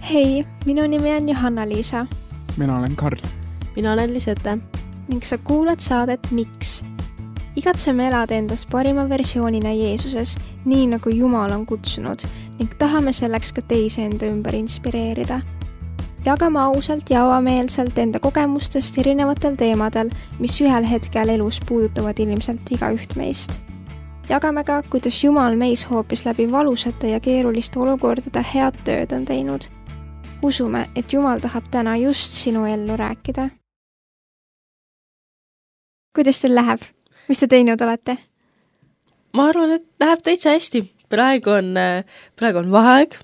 Hei, minu nimi on Johanna-Liisa. Mina olen Karl. Mina olen Lisette. Ning sa kuulad saadet Miks? Igatseme elada endast parima versioonina Jeesuses, nii nagu Jumal on kutsunud, ning tahame selleks ka teisi enda ümber inspireerida. Jagame ausalt ja avameelselt enda kogemustest erinevatel teemadel, mis ühel hetkel elus puudutavad ilmselt igaüht meist. Jagame ka, kuidas Jumal meis hoopis läbi valusate ja keeruliste olukordade head tööd on teinud. Usume, et Jumal tahab täna just sinu ellu rääkida. Kuidas teil läheb? Mis te teinud olete? Ma arvan, et läheb täitsa hästi. Praegu on vaheaeg,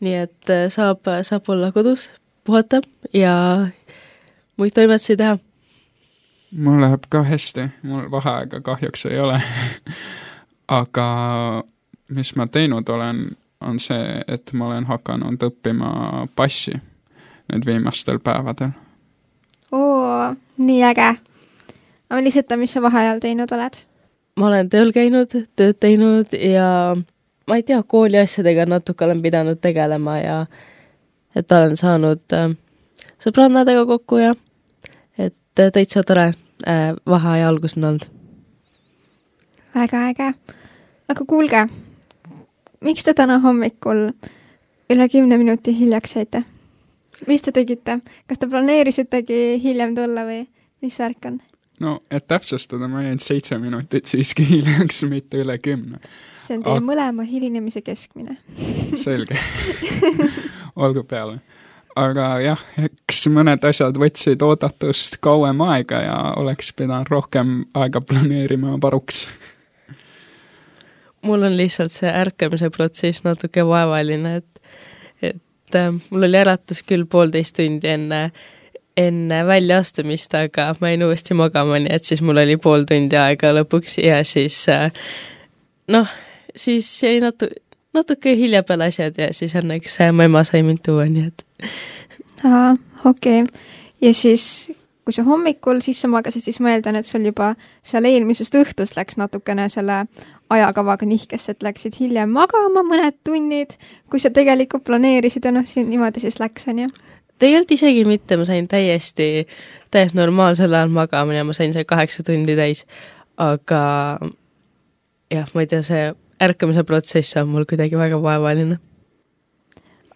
nii et saab olla kodus, puhata ja muid toimetusi teha. Mul läheb ka hästi. Mul vaheaega kahjuks ei ole. Aga mis ma teinud olen, on see, et ma olen hakanud õppima bassi nüüd viimastel päevadel. Oo, nii äge. Aga Lisette, mis sa vaheajal teinud oled? Ma olen tööl käinud, tööd teinud ja ma ei tea, kooli asjadega natuke olen pidanud tegelema ja et olen saanud sõbrannadega kokku ja et täitsa tore vaheaja algus on olnud. Väga äge. Aga kuulge, miks te täna hommikul üle 10 minuti hiljaks jäite? Mis te tegite? Kas te planeerisitegi hiljem tulla või mis värk on? No, et täpsustada, ma jäin 7 minutit siiski hiljaks, mitte üle 10. See on teie mõlema hilinemise keskmine. Selge. Olgu peale. Aga jah, eks mõned asjad võtsid oodatust kauem aega ja oleks pidanud rohkem aega planeerima paruks. Mul on lihtsalt see ärkamise protsess natuke vaevaline, et mul oli äratus küll 1,5 tundi enne väljaastumist, aga ma jäin uuesti magama, nii et siis mul oli 0,5 tundi aega lõpuks ja siis siis jäi natuke hilja peale asjad ja siis õnneks mu ema sai mind tuua, nii et. Okei. Ja siis, kui sa hommikul sisse magasid, siis ma eeldan, et sul juba seal eelmisest õhtust läks natukene selle ajakavaga nihkes, et läksid hiljem magama mõned tunnid, kui sa tegelikult planeerisid ja niimoodi siis läks, on ju? Tegelikult isegi mitte, ma sain täiesti normaalsel ajal magamine, ma sain see 8 tundi täis, aga jah, ma ei tea, see ärkamise protsess on mul kuidagi väga vaevaline.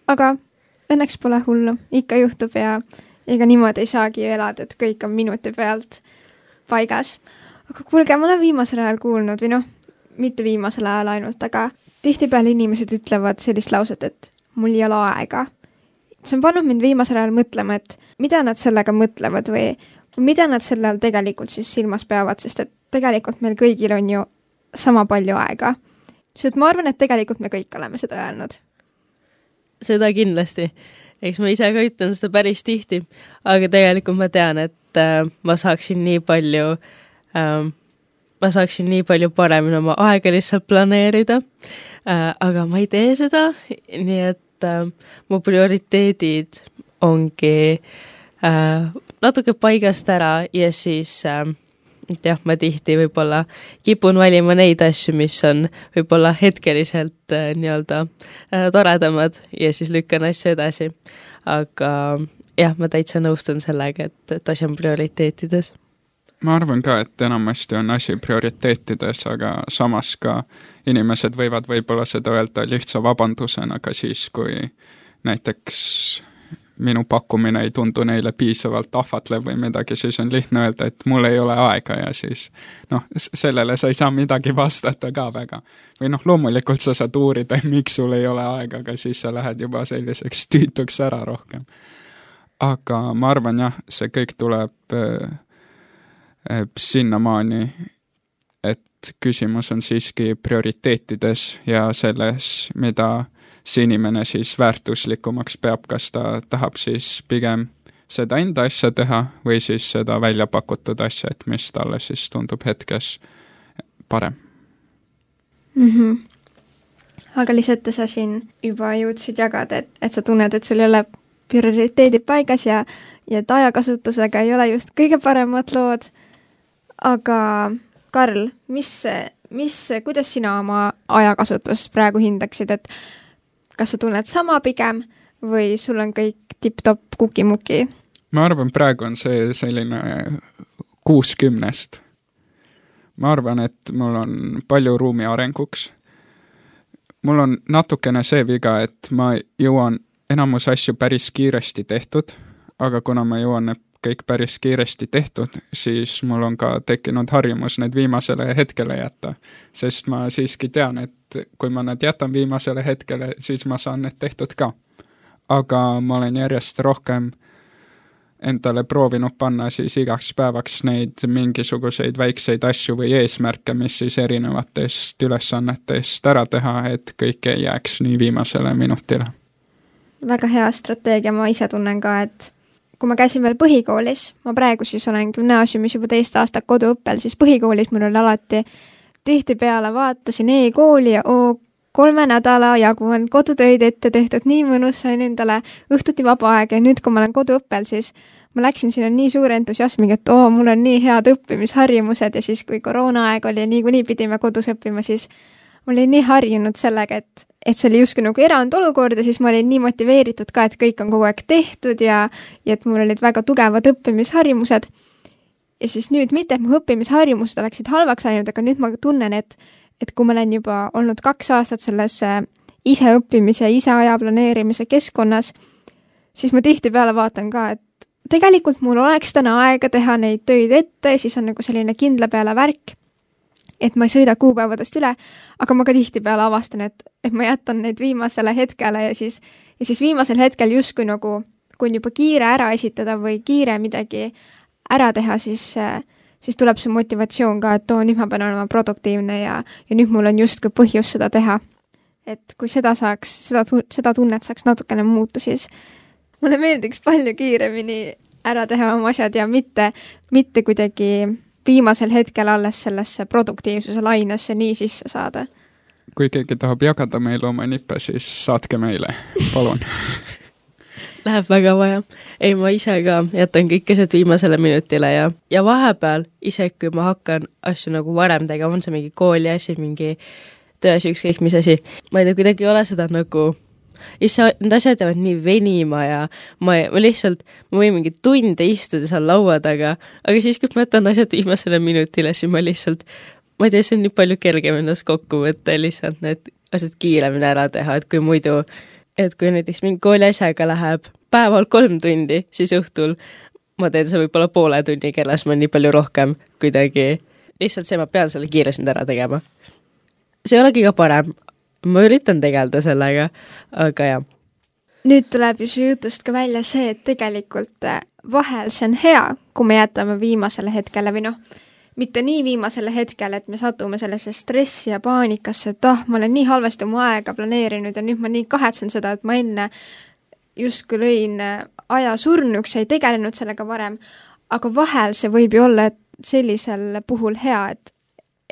Aga õnneks pole hullu, ikka juhtub ja ega niimoodi ei saagi elada, et kõik on minuti pealt paigas. Aga kuulge, ma olen viimasel ajal kuulnud, või mitte viimasel ajal ainult, aga tihtipeale inimesed ütlevad sellist lauset, et mul ei ole aega. See on pannud mind viimasel ajal mõtlema, et mida nad sellega mõtlevad või mida nad selle all tegelikult siis silmas peavad, sest et tegelikult meil kõigil on ju sama palju aega. Sest ma arvan, et tegelikult me kõik oleme seda öelnud. Seda kindlasti. Eks ma ise ka ütlen seda päris tihti, aga tegelikult ma tean, et ma saaksin nii palju paremini oma aega lihtsalt planeerida, aga ma ei tee seda, nii et mu prioriteedid ongi natuke paigast ära ja siis ma tihti võib-olla kipun valima neid asju, mis on võib-olla hetkeliselt toredamad ja siis lükkan asju edasi. Aga jah, ma täitsa nõustun sellega, et asi on prioriteetides. Ma arvan ka, et enamasti on asi prioriteetides, aga samas ka inimesed võivad võib-olla seda öelda lihtsa vabandusena ka siis, kui näiteks minu pakkumine ei tundu neile piisavalt ahvatlev või midagi, siis on lihtne öelda, et mul ei ole aega ja siis sellele sa ei saa midagi vastata ka väga. Või loomulikult sa saad uurida, miks sul ei ole aega, aga siis sa lähed juba selliseks tüütuks ära rohkem. Aga ma arvan jah, see kõik tuleb sinnamaani, et küsimus on siiski prioriteetides ja selles, mida see inimene siis väärtuslikumaks peab, kas ta tahab siis pigem seda enda asja teha või siis seda välja pakutud asja, et mis talle siis tundub hetkes parem. Aga Lisette, sa siin juba jõudsid jagada, et sa tunned, et sul ei ole prioriteedid paigas ja et ajakasutusega ei ole just kõige paremad lood. Aga Karl, kuidas sina oma ajakasutust praegu hindaksid, et kas sa tunned sama pigem või sul on kõik tipp-topp kukimuki? ma arvan, praegu on see selline 60. ma arvan, et mul on palju ruumi arenguks. mul on natukene see viga, et ma jõuan enamus asju päris kiiresti tehtud, aga kuna ma jõuan need kõik päris kiiresti tehtud, siis mul on ka tekkinud harjumus need viimasele hetkele jätta. Sest ma siiski tean, et kui ma need jätan viimasele hetkele, siis ma saan need tehtud ka. Aga ma olen järjest rohkem endale proovinud panna siis igaks päevaks neid mingisuguseid väikseid asju või eesmärke, mis siis erinevatest ülesannetest ära teha, et kõik ei jääks nii viimasele minutile. Väga hea strateegia, ma ise tunnen ka, et kui ma käisin veel põhikoolis, ma praegu siis olen gümnaasiumis juba 2 aastat koduõppel, siis põhikoolis mul oli alati tihtipeale vaatasin e-kooli ja 3 nädala jagu on kodutöid ette tehtud, nii mõnus, sain endale õhtuti vaba aeg ja nüüd, kui ma olen koduõppel, siis ma läksin sinna nii suure entusiasmiga, et mul on nii head õppimisharjumused ja siis, kui koroonaaeg oli ja niikuinii pidime kodus õppima, siis ma olin nii harjunud sellega, et see oli justkui nagu erandolukord ja siis ma olin nii motiveeritud ka, et kõik on kogu aeg tehtud ja et mul olid väga tugevad õppimisharjumused. Ja siis nüüd mitte, et mu õppimisharjumused oleksid halvaks läinud, aga nüüd ma tunnen, et kui ma olen juba olnud 2 aastat selles ise õppimise, ise aja planeerimise keskkonnas, siis ma tihtipeale vaatan ka, et tegelikult mul oleks täna aega teha neid töid ette ja siis on nagu selline kindla peale värk, et ma ei sõida kuupäevadest üle, aga ma ka tihtipeale avastan, et ma jätan neid viimasele hetkele ja siis viimasel hetkel justkui nagu, kui on juba kiire ära esitada või kiire midagi ära teha, siis tuleb see motivatsioon ka, et nüüd ma pean olema produktiivne ja nüüd mul on justkui põhjus seda teha. Et kui seda tunnet saaks natukene muuta, siis mulle meeldiks palju kiiremini ära teha oma asjad ja mitte kuidagi viimasel hetkel alles sellesse produktiivsuse lainesse nii sisse saada. Kui keegi tahab jagada meile oma nippe, siis saatke meile, palun. Läheb väga vaja. Ei, ma ise ka jätan kõik asjad viimasele minutile ja vahepeal, isegi kui ma hakkan asju nagu varem tegema, on see mingi kooli asi, mingi tööasi, ükskõik mis asi, ma ei tea, kuidagi ei ole seda nagu need asjad jäävad nii venima ja ma võin mingi tunde istuda seal laua taga, aga siis, kui ma jätan asjad viimasele minutile, siis ma ei tea, see on nii palju kergem ennast kokku võtta ja lihtsalt need asjad kiiremini ära teha, et kui muidu, et kui näiteks mingi kooli asjaga läheb päeval 3 tundi, siis õhtul ma teen see võib-olla poole tunni keeles, ma nii palju rohkem kuidagi, lihtsalt see, ma pean selle kiiresti ära tegema. See ei ole kõige parem. Ma üritan tegeleda sellega, aga jah. Nüüd tuleb ju su jutust ka välja see, et tegelikult vahel see on hea, kui me jätame viimasele hetkele või mitte nii viimasele hetkele, et me satume sellesse stressi ja paanikasse, et ma olen nii halvasti oma aega planeerinud ja nüüd ma nii kahetsen seda, et ma enne justkui lõin aja surnuks ja ei tegelenud sellega varem, aga vahel see võib ju olla sellisel puhul hea,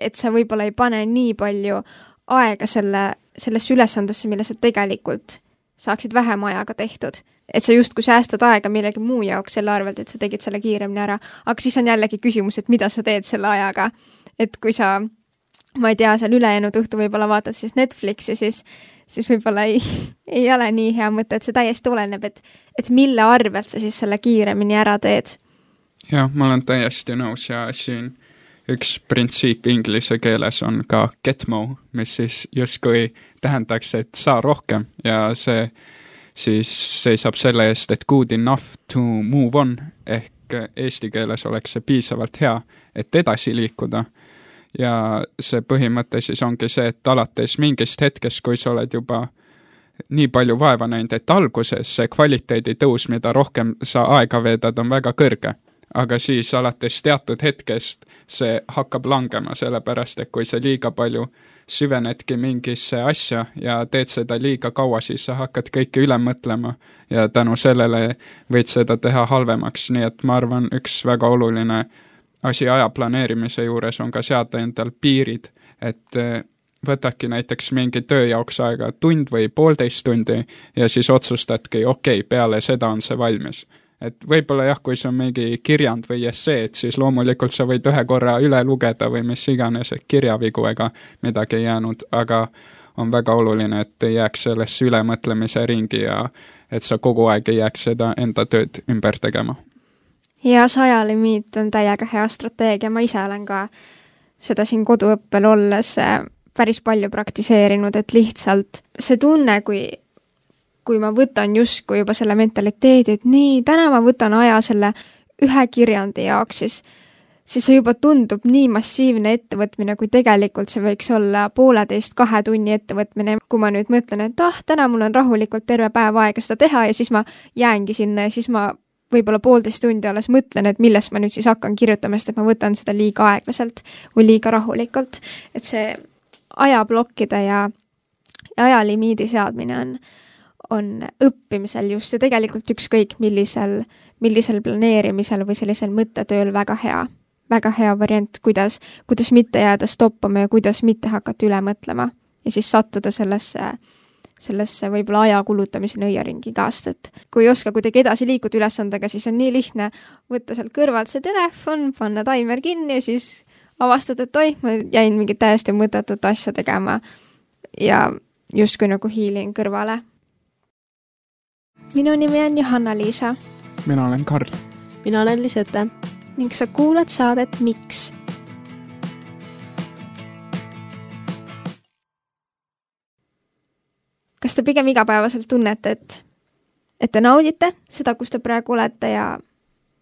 et sa võib-olla ei pane nii palju aega sellesse ülesandesse, mille sa tegelikult saaksid vähem ajaga tehtud. Et sa justkui säästad aega millegi muu jaoks selle arvelt, et sa tegid selle kiiremini ära. Aga siis on jällegi küsimus, et mida sa teed selle ajaga. Et kui sa, ma ei tea, seal ülejäänud õhtu võib-olla vaatad siis Netflixi, siis võib-olla ei ole nii hea mõte, et see täiesti oleneb, et mille arvelt sa siis selle kiiremini ära teed. Jah, ma olen täiesti nõus ja siin üks printsiip inglise keeles on ka get more, mis siis justkui tähendaks, et saa rohkem ja see siis seisab selle eest, et good enough to move on, ehk eesti keeles oleks see piisavalt hea, et edasi liikuda. Ja see põhimõte siis ongi see, et alates mingist hetkest, kui sa oled juba nii palju vaeva näinud, et alguses see kvaliteedi tõus, mida rohkem sa aega veedad, on väga kõrge. Aga siis alates teatud hetkest see hakkab langema, sellepärast, et kui sa liiga palju süvenedki mingisse asja ja teed seda liiga kaua, siis sa hakkad kõike üle mõtlema ja tänu sellele võid seda teha halvemaks. Nii et ma arvan, üks väga oluline asi aja planeerimise juures on ka seada endal piirid, et võtadki näiteks mingi töö jaoks aega 1 tund või 1,5 tundi ja siis otsustadki, okei, peale seda on see valmis. Et võib-olla jah, kui see on mingi kirjand või essee, et siis loomulikult sa võid 1 korra üle lugeda või mis iganes, et kirjavigu ega midagi ei jäänud, aga on väga oluline, et ei jääks sellesse ülemõtlemise ringi ja et sa kogu aeg ei jääks seda enda tööd ümber tegema. Ja see ajalimiit on täiega hea strateegia, ma ise olen ka seda siin koduõppel olles päris palju praktiseerinud, et lihtsalt see tunne, kui ma võtan justkui juba selle mentaliteedi, et nii, täna ma võtan aja selle ühe kirjandi jaoks, siis see juba tundub nii massiivne ettevõtmine, kui tegelikult see võiks olla 1,5–2 tunni ettevõtmine. Kui ma nüüd mõtlen, et täna mul on rahulikult terve päev aega seda teha ja siis ma jäängi sinna ja siis ma võib-olla 1,5 tundi alles mõtlen, et millest ma nüüd siis hakkan kirjutama, sest et ma võtan seda liiga aeglaselt või liiga rahulikult. Et see ajablokkide ja ajalimiidi seadmine on õppimisel just ja tegelikult ükskõik millisel planeerimisel või sellisel mõttetööl väga hea variant, kuidas mitte jääda stoppama ja kuidas mitte hakata üle mõtlema ja siis sattuda sellesse võib-olla aja kulutamise nõiaringi käest, et kui ei oska kuidagi edasi liikuda ülesandega, siis on nii lihtne võtta sealt kõrvalt see telefon, panna taimer kinni ja siis avastad, et ma jäin mingit täiesti mõttetut asja tegema ja justkui nagu hiilin kõrvale. Minu nimi on Johanna-Liisa. Mina olen Karl. Mina olen Lisette. Ning sa kuulad saadet Miks? Kas te pigem igapäevaselt tunnete, et te naudite seda, kus te praegu olete ja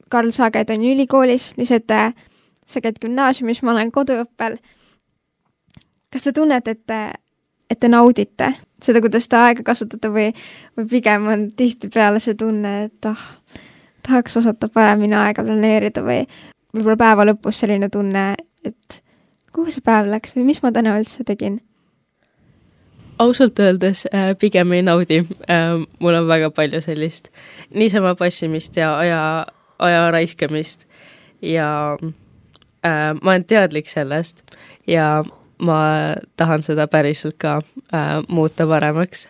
Karl, sa käid on ülikoolis, Lisette, sa käid gümnaasiumis, ma olen koduõppel. Kas te tunnete, et te naudite seda, kuidas te aega kasutate või pigem on tihtipeale see tunne, et tahaks osata paremini aega planeerida või võib-olla päeva lõpus selline tunne, et kuhu see päev läks või mis ma täna üldse tegin? Ausalt öeldes pigem ei naudi. Mul on väga palju sellist niisama passimist ja aja raiskamist ja ma olen teadlik sellest ja ma tahan seda päriselt ka muuta paremaks.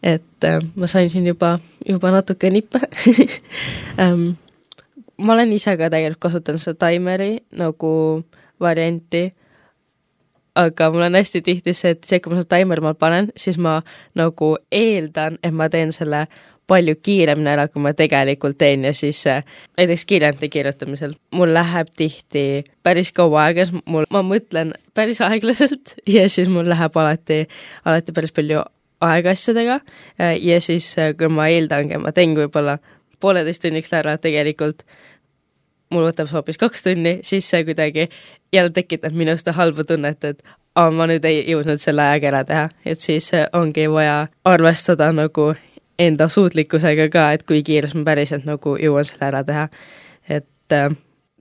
Et ma sain siin juba natuke nippe. Ma olen ise ka tegelikult kasutanud seda taimeri nagu varianti, aga mul on hästi tihti see, et kui ma seda taimeri ma panen, siis ma nagu eeldan, et ma teen selle palju kiiremini ära, kui ma tegelikult teen ja siis näiteks kirjandi kirjutamisel. Mul läheb tihti päris kaua aega, ma mõtlen päris aeglaselt ja siis mul läheb alati päris palju aega asjadega ja siis kui ma eeldangi, ma teen võib-olla 1,5 tunniks ära, tegelikult mul võtab hoopis 2 tunni, siis see kuidagi jälle tekitab minust halba tunnet, et ma nüüd ei jõudnud selle ajaga ära teha, et siis ongi vaja arvestada nagu enda suutlikkusega ka, et kui kiires ma päriselt nagu jõuan selle ära teha. Et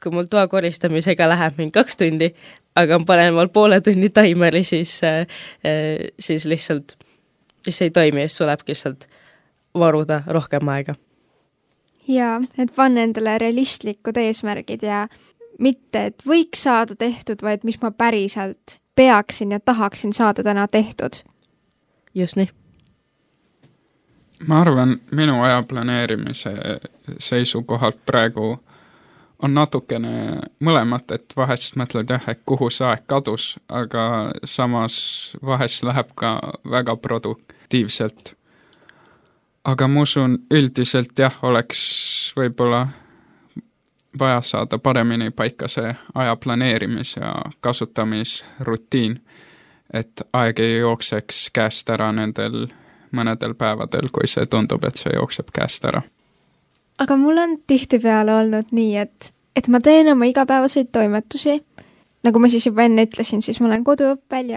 kui mul toa koristamisega läheb mind 2 tundi, aga ma panen mal 1,5 tunni taimeri, siis lihtsalt ei toimi ja siis tulebki lihtsalt varuda rohkem aega. Jaa, et panna endale realistlikud eesmärgid ja mitte, et võiks saada tehtud, vaid mis ma päriselt peaksin ja tahaksin saada täna tehtud. Just nii. Ma arvan, minu aja planeerimise seisukohalt praegu on natukene mõlemat, et vahest mõtled et kuhu see aeg kadus, aga samas vahest läheb ka väga produktiivselt. Aga ma usun, üldiselt oleks võib-olla vaja saada paremini paika see aja planeerimis- ja kasutamisrutiin, et aeg ei jookseks käest ära nendel mõnedel päevadel, kui see tundub, et see jookseb käest ära. Aga mul on tihtipeale olnud nii, et ma teen oma igapäevaseid toimetusi. Nagu ma siis juba enne ütlesin, siis ma olen koduõppel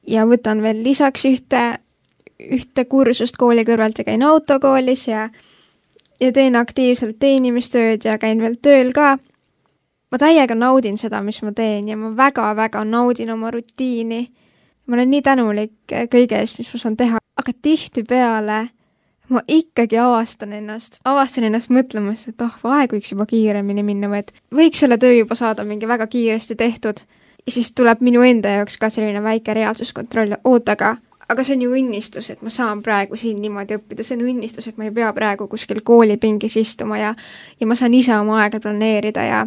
ja võtan veel lisaks ühte kursust kooli kõrvalt ja käin autokoolis ja teen aktiivselt teenimistööd ja käin veel tööl ka. Ma täiega naudin seda, mis ma teen ja ma väga-väga naudin oma rutiini. Ma olen nii tänulik kõige eest, mis ma saan teha, aga tihtipeale ma ikkagi avastan ennast mõtlemast, et aeg võiks juba kiiremini minna või et võiks selle töö juba saada mingi väga kiiresti tehtud. Ja siis tuleb minu enda jaoks ka selline väike reaalsuskontroll, aga see on ju õnnistus, et ma saan praegu siin niimoodi õppida, see on õnnistus, et ma ei pea praegu kuskil koolipingis istuma ja ma saan ise oma aega planeerida ja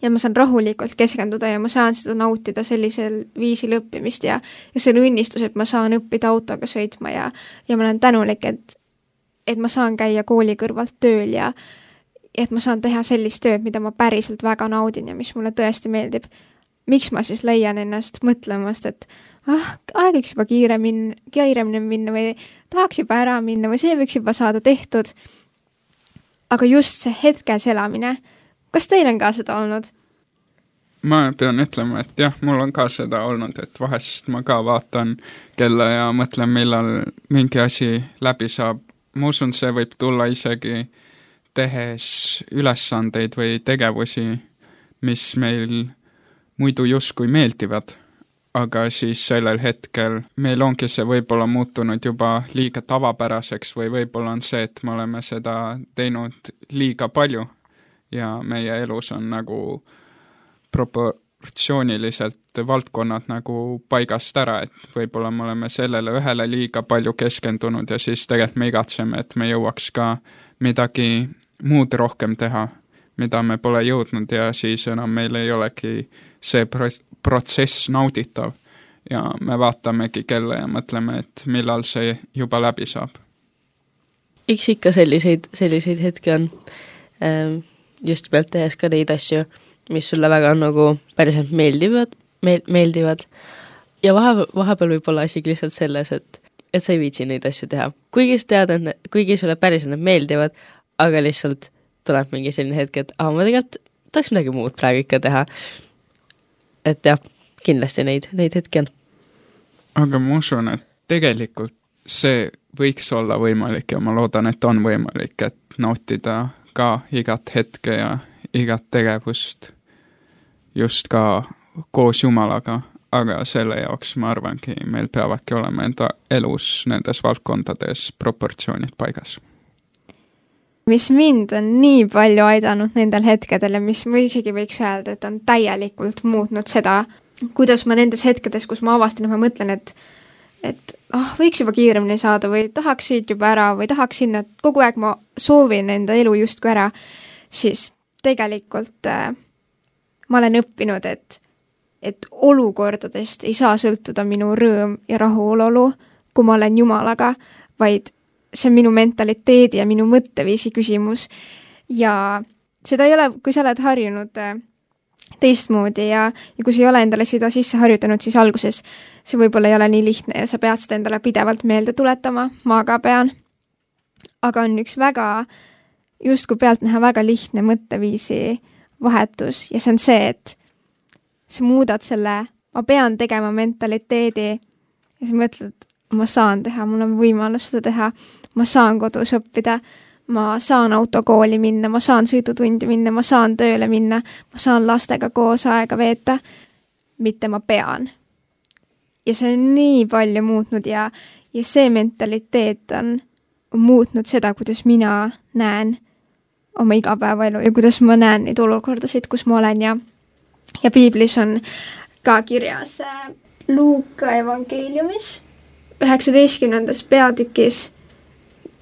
ja ma saan rahulikult keskenduda ja ma saan seda nautida sellisel viisil õppimist ja see on õnnistus, et ma saan õppida autoga sõitma ja ma olen tänulik, et ma saan käia kooli kõrvalt tööl ja et ma saan teha sellist tööd, mida ma päriselt väga naudin ja mis mulle tõesti meeldib. Miks ma siis leian ennast mõtlemast, et aeg võiks juba kiiremini minna või tahaks juba ära minna või see võiks juba saada tehtud. Aga just see hetkes elamine, kas teil on ka seda olnud? Ma pean ütlema, et jah, mul on ka seda olnud, et vahest ma ka vaatan kella ja mõtlen, millal mingi asi läbi saab. Ma usun, see võib tulla isegi tehes ülesandeid või tegevusi, mis meil muidu justkui meeldivad, aga siis sellel hetkel meil ongi see võib-olla muutunud juba liiga tavapäraseks või võib-olla on see, et me oleme seda teinud liiga palju ja meie elus on nagu proportsiooniliselt valdkonnad nagu paigast ära, et võib-olla me oleme sellele ühele liiga palju keskendunud ja siis tegelikult me igatseme, et me jõuaks ka midagi muud rohkem teha, mida me pole jõudnud ja siis enam meil ei olegi see protsess nauditav ja me vaatamegi kella ja mõtleme, et millal see juba läbi saab. Eks ikka selliseid hetki on just pealt tehes ka neid asju, mis sulle väga nagu päriselt meeldivad. Ja vahepeal võib olla asi lihtsalt selles, et sa ei viitsi neid asju teha. Kuigi sa tead, et kuigi sulle päriselt need meeldivad, aga lihtsalt tuleb mingi selline hetk, et ma tegelikult tahaks midagi muud praegu ikka teha. Et jah, kindlasti neid hetki on. Aga ma usun, et tegelikult see võiks olla võimalik ja ma loodan, et on võimalik, et nautida ka igat hetke ja igat tegevust just ka koos Jumalaga, aga selle jaoks ma arvangi, meil peavadki olema enda elus nendes valdkondades proportsioonid paigas. Mis mind on nii palju aidanud nendel hetkedel ja mis ma isegi võiks öelda, et on täielikult muutnud seda, kuidas ma nendes hetkedes, kus ma avastan, et ma mõtlen, et võiks juba kiiremini saada või tahaks siit juba ära või tahaks sinna, et kogu aeg ma soovin enda elu justkui ära, siis tegelikult ma olen õppinud, et olukordadest ei saa sõltuda minu rõõm ja rahulolu, kui ma olen Jumalaga, vaid see on minu mentaliteedi ja minu mõtteviisi küsimus ja seda ei ole, kui sa oled harjunud teistmoodi ja kui sa ei ole endale seda sisse harjutanud, siis alguses see võib-olla ei ole nii lihtne ja sa pead seda endale pidevalt meelde tuletama, ma ka pean. Aga on üks justkui pealtnäha väga lihtne mõtteviisi vahetus ja see on see, et sa muudad selle, ma pean tegema mentaliteedi ja sa mõtled, ma saan teha, mul on võimalus seda teha, ma saan kodus õppida, ma saan autokooli minna, ma saan sõidutundi minna, ma saan tööle minna, ma saan lastega koos aega veeta, mitte ma pean. Ja see on nii palju muutnud ja see mentaliteet on muutnud seda, kuidas mina näen oma igapäevaelu ja kuidas ma näen neid olukordasid, kus ma olen ja piiblis on ka kirjas Luuka evangeeliumis 19. peatükis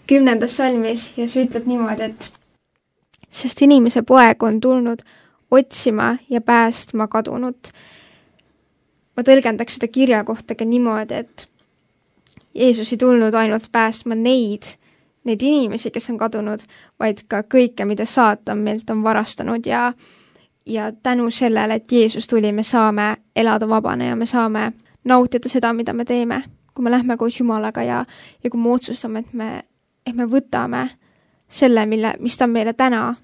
10. salmis ja see ütleb niimoodi, et sest inimese poeg on tulnud otsima ja päästma kadunut. Ma tõlgendaks seda kirja kohta ka niimoodi, et Jeesus ei tulnud ainult päästma neid inimesi, kes on kadunud, vaid ka kõike, mida saatan meilt on varastanud ja tänu sellele, et Jeesus tuli, me saame elada vabane ja me saame nautida seda, mida me teeme, kui me lähme koos Jumalaga ja kui me otsustame, et me võtame selle, mis ta on meile täna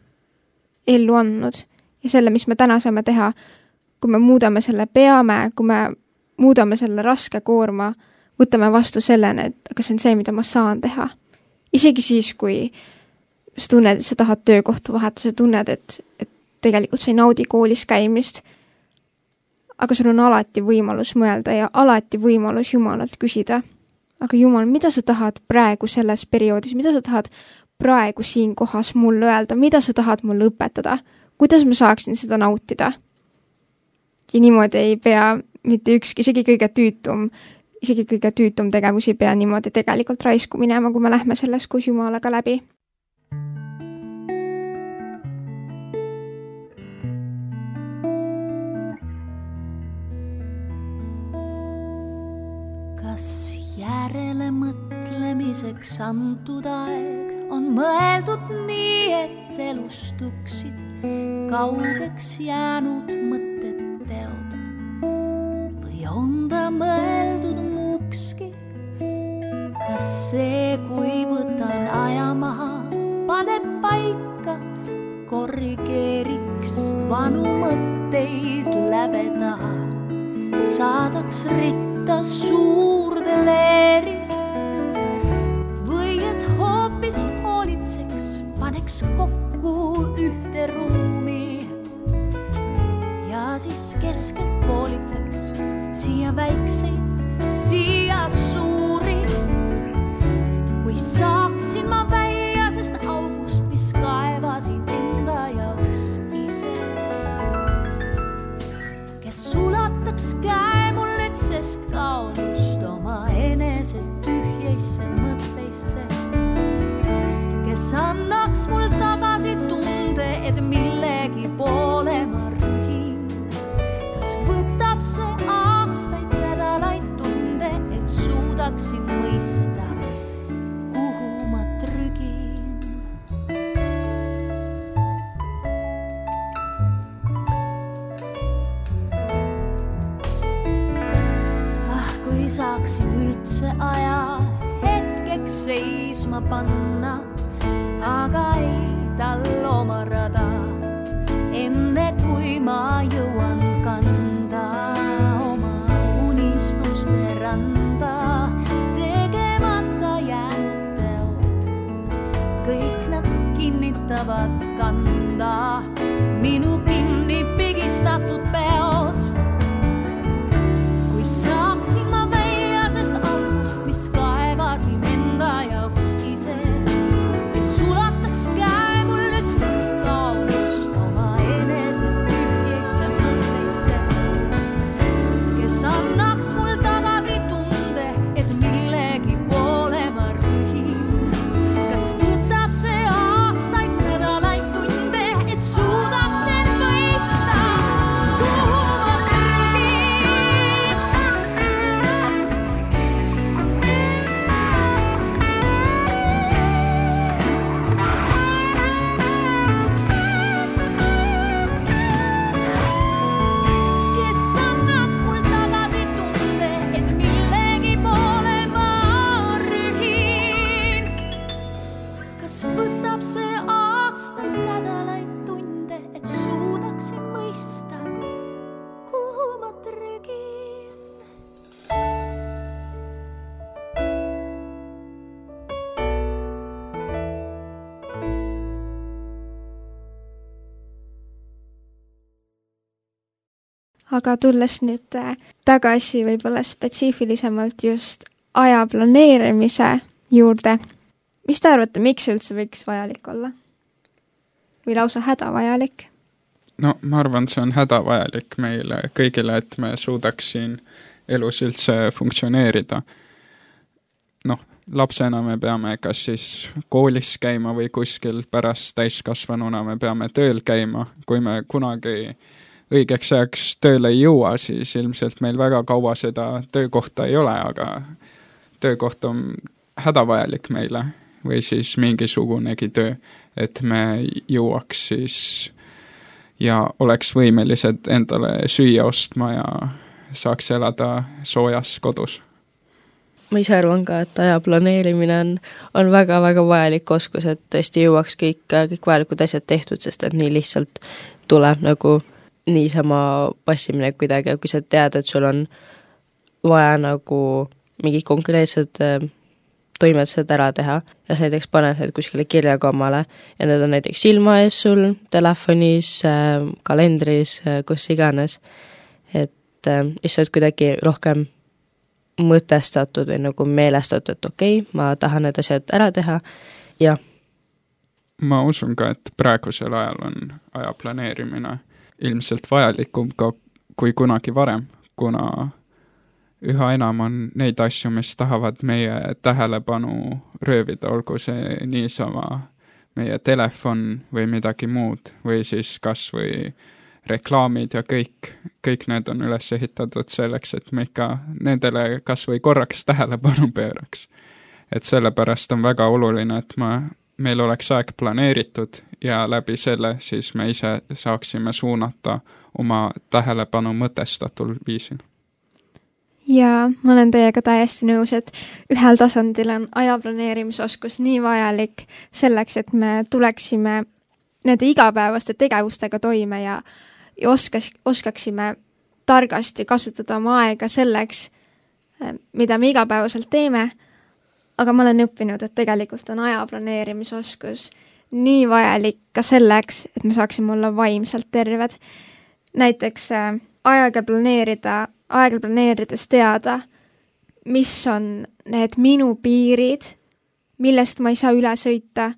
ellu andnud ja selle, mis me täna saame teha, kui me muudame selle peame, kui me muudame selle raske koorma, võtame vastu sellena, et aga see on see, mida ma saan teha. Isegi siis, kui sa tunned, et sa tahad töökohta vahetada, sa tunned, et tegelikult sa ei naudi koolis käimist, aga sul on alati võimalus mõelda ja alati võimalus Jumalalt küsida. Aga Jumal, mida sa tahad praegu selles perioodis, mida sa tahad praegu siin kohas mulle öelda, mida sa tahad mulle õpetada, kuidas ma saaksin seda nautida? Ja niimoodi ei pea mitte ükski, isegi kõige tüütum tegevus ei pea niimoodi tegelikult raisku minema, kui me lähme selles koos Jumalaga läbi. elamiseks antud aeg on mõeldud nii, et elustuksid kaugeks jäänud mõtted, teod. Või on ta mõeldud muukski? Kas see, kui võtan aja maha, paneb paika, korrigeeriks vanu mõtteid läbe taha, saadaks ritta suurde leeri? Või et hoopis hoolitseks, paneks kokku ühte ruumi ja siis keskelt poolitaks siia väikseid, siia suuri? Kui saaksin ma väljasest august, mis kaevasin enda jaoks ise, kes ulataks käe mul nüüd, sest kaunust oma enese tühjeisse mõtteisse, kes annaks mul tagasi tunde, et millegi poole ma rühin. Kas võtab see aastaid, nädalaid, tunde, et suudaksin mõista, kuhu ma trügin? Kui saaksin üldse aja hetkeks seisma panna, aga ei tal oma rada, enne kui ma jõuan kanda oma unistuste randa, tegemata jäänud teod. Kõik nad kinnitavad kanda minu kinni pigistatud peos. Kui saaksin ma väljasest august, mis kaevasin enda jaoks ise, kes ulataks käe mul nüüd, sest kaunust oma enese tühjeisse mõtteisse, kes annaks mul tagasi tunde, et millegi poole ma rühin. Kas võtab see aastaid, nädalaid, tunde, et suudaksin mõista, kuhu ma trügin? Kes annaks mul tagasi tunde, et millegi poole ma rühin? Kas võtab see aastaid, nädalaid, tunde, et suudaksin mõista, kuhu ma trügin? aga tulles nüüd tagasi võib-olla spetsiifilisemalt just aja planeerimise juurde, mis te arvate, miks üldse võiks vajalik olla? Või lausa hädavajalik? No ma arvan, see on hädavajalik meile kõigile, et me suudaks siin elus üldse funktsioneerida. Noh, lapsena me peame kas siis koolis käima või kuskil, pärast täiskasvanuna me peame tööl käima. Kui me kunagi õigeks ajaks tööle ei jõua, siis ilmselt meil väga kaua seda töökohta ei ole, aga töökoht on hädavajalik meile või siis mingisugunegi töö, et me jõuaks siis ja oleks võimelised endale süüa ostma ja saaks elada soojas kodus. Ma ise arvan ka, et aja planeerimine on väga-väga vajalik oskus, et tõesti jõuaks kõik vajalikud asjad tehtud, sest et nii lihtsalt tuleb nagu niisama passimine kuidagi, kui sa tead, et sul on vaja nagu mingid konkreetsed toimetused ära teha ja sa näiteks paned need kuskile kirjakommale ja need on näiteks silma ees sul, telefonis, kalendris, kus iganes, et siis sa oled kuidagi rohkem mõtestatud või nagu meelestatud, et okei, ma tahan need asjad ära teha ja ma usun ka, et praegusel ajal on aja planeerimine ilmselt vajalikum ka kui kunagi varem, kuna üha enam on neid asju, mis tahavad meie tähelepanu röövida, olgu see niisama meie telefon või midagi muud või siis kas või reklaamid ja kõik need on üles ehitatud selleks, et me ikka nendele kas või korraks tähelepanu pööraks. et sellepärast on väga oluline, et meil oleks aeg planeeritud ja läbi selle siis me ise saaksime suunata oma tähelepanu mõtestatul viisil. Ja ma olen teiega täiesti nõus, et ühel tasandil on aja planeerimisoskus nii vajalik selleks, et me tuleksime nende igapäevaste tegevustega toime ja oskaksime targasti kasutada oma aega selleks, mida me igapäevaselt teeme, aga ma olen õppinud, et tegelikult on aja planeerimisoskus nii vajalik ka selleks, et me saaksime olla vaimselt terved. Näiteks aega planeerides teada, mis on need minu piirid, millest ma ei saa üle sõita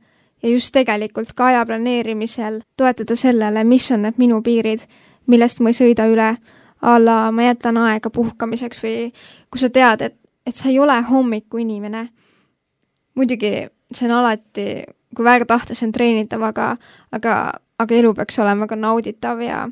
ja just tegelikult ka aja planeerimisel toetada sellele, mis on need minu piirid, millest ma ei sõida üle, ma jätan aega puhkamiseks või kui sa tead, et sa ei ole hommiku inimene. Muidugi see on alati, kui väga tahta, see on treenitav, aga elu peaks olema ka nauditav ja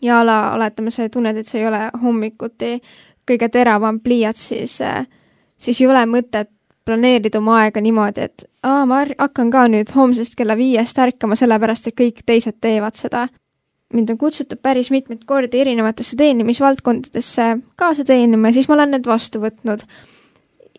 oletame, sa tunned, et see ei ole hommikuti kõige teravam pliiats, siis ei ole mõtet planeerida oma aega niimoodi, et ma hakkan ka nüüd homsest kella 5 ärkama sellepärast, et kõik teised teevad seda. Mind on kutsutud päris mitmeid kordi erinevatesse teenimisvaldkondadesse kaasa teenima ja siis ma olen need vastu võtnud.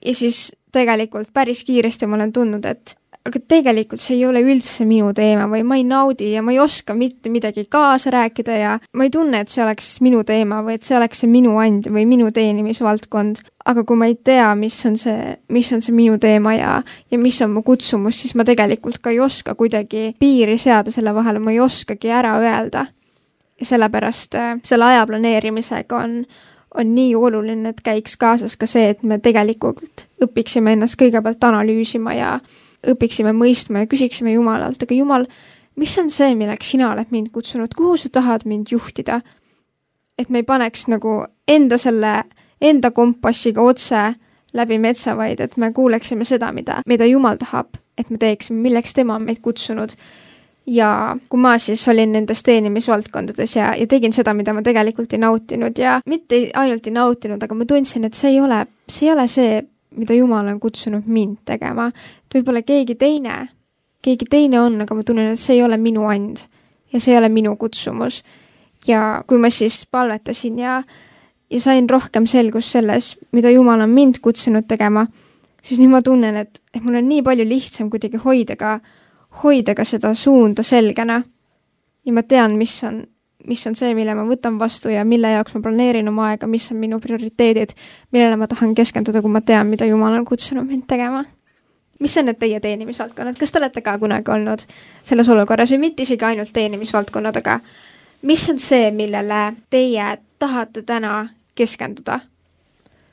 Ja siis tegelikult päris kiiresti ma olen tundnud, et aga tegelikult see ei ole üldse minu teema või ma ei naudi ja ma ei oska mitte midagi kaasa rääkida ja ma ei tunne, et see oleks minu teema või et see oleks see minu and või minu teenimisvaldkond. Aga kui ma ei tea, mis on see minu teema ja mis on mu kutsumus, siis ma tegelikult ka ei oska kuidagi piiri seada selle vahele, ma ei oskagi ära öelda. Ja sellepärast selle aja planeerimisega on nii oluline, et käiks kaasas ka see, et me tegelikult õpiksime ennast kõigepealt analüüsima ja õpiksime mõistma ja küsiksime Jumalalt, aga Jumal, mis on see, milleks sina oled mind kutsunud, kuhu sa tahad mind juhtida? Et me ei paneks nagu enda kompassiga otse läbi metsa, vaid et me kuuleksime seda, mida Jumal tahab, et me teeksime, milleks tema on meid kutsunud. Ja kui ma siis olin nendes teenimisvaldkondades ja tegin seda, mida ma tegelikult ei nautinud ja mitte ainult ei nautinud, aga ma tundsin, et see ei ole see, mida Jumal on kutsunud mind tegema. Et võib-olla keegi teine on, aga ma tunnen, et see ei ole minu and ja see ei ole minu kutsumus. Ja kui ma siis palvetasin ja sain rohkem selgust selles, mida Jumal on mind kutsunud tegema, siis nüüd ma tunnen, et mul on nii palju lihtsam kuidagi hoida ka seda suunda selgena. Ja ma tean, mis on see, mille ma võtan vastu ja mille jaoks ma planeerin oma aega, mis on minu prioriteedid, millele ma tahan keskenduda, kui ma tean, mida Jumal on kutsunud mind tegema. Mis on need teie teenimisvaldkonnad? Kas te olete ka kunagi olnud selles olukorras või mitte isegi ainult teenimisvaldkonnad, aga mis on see, millele teie tahate täna keskenduda?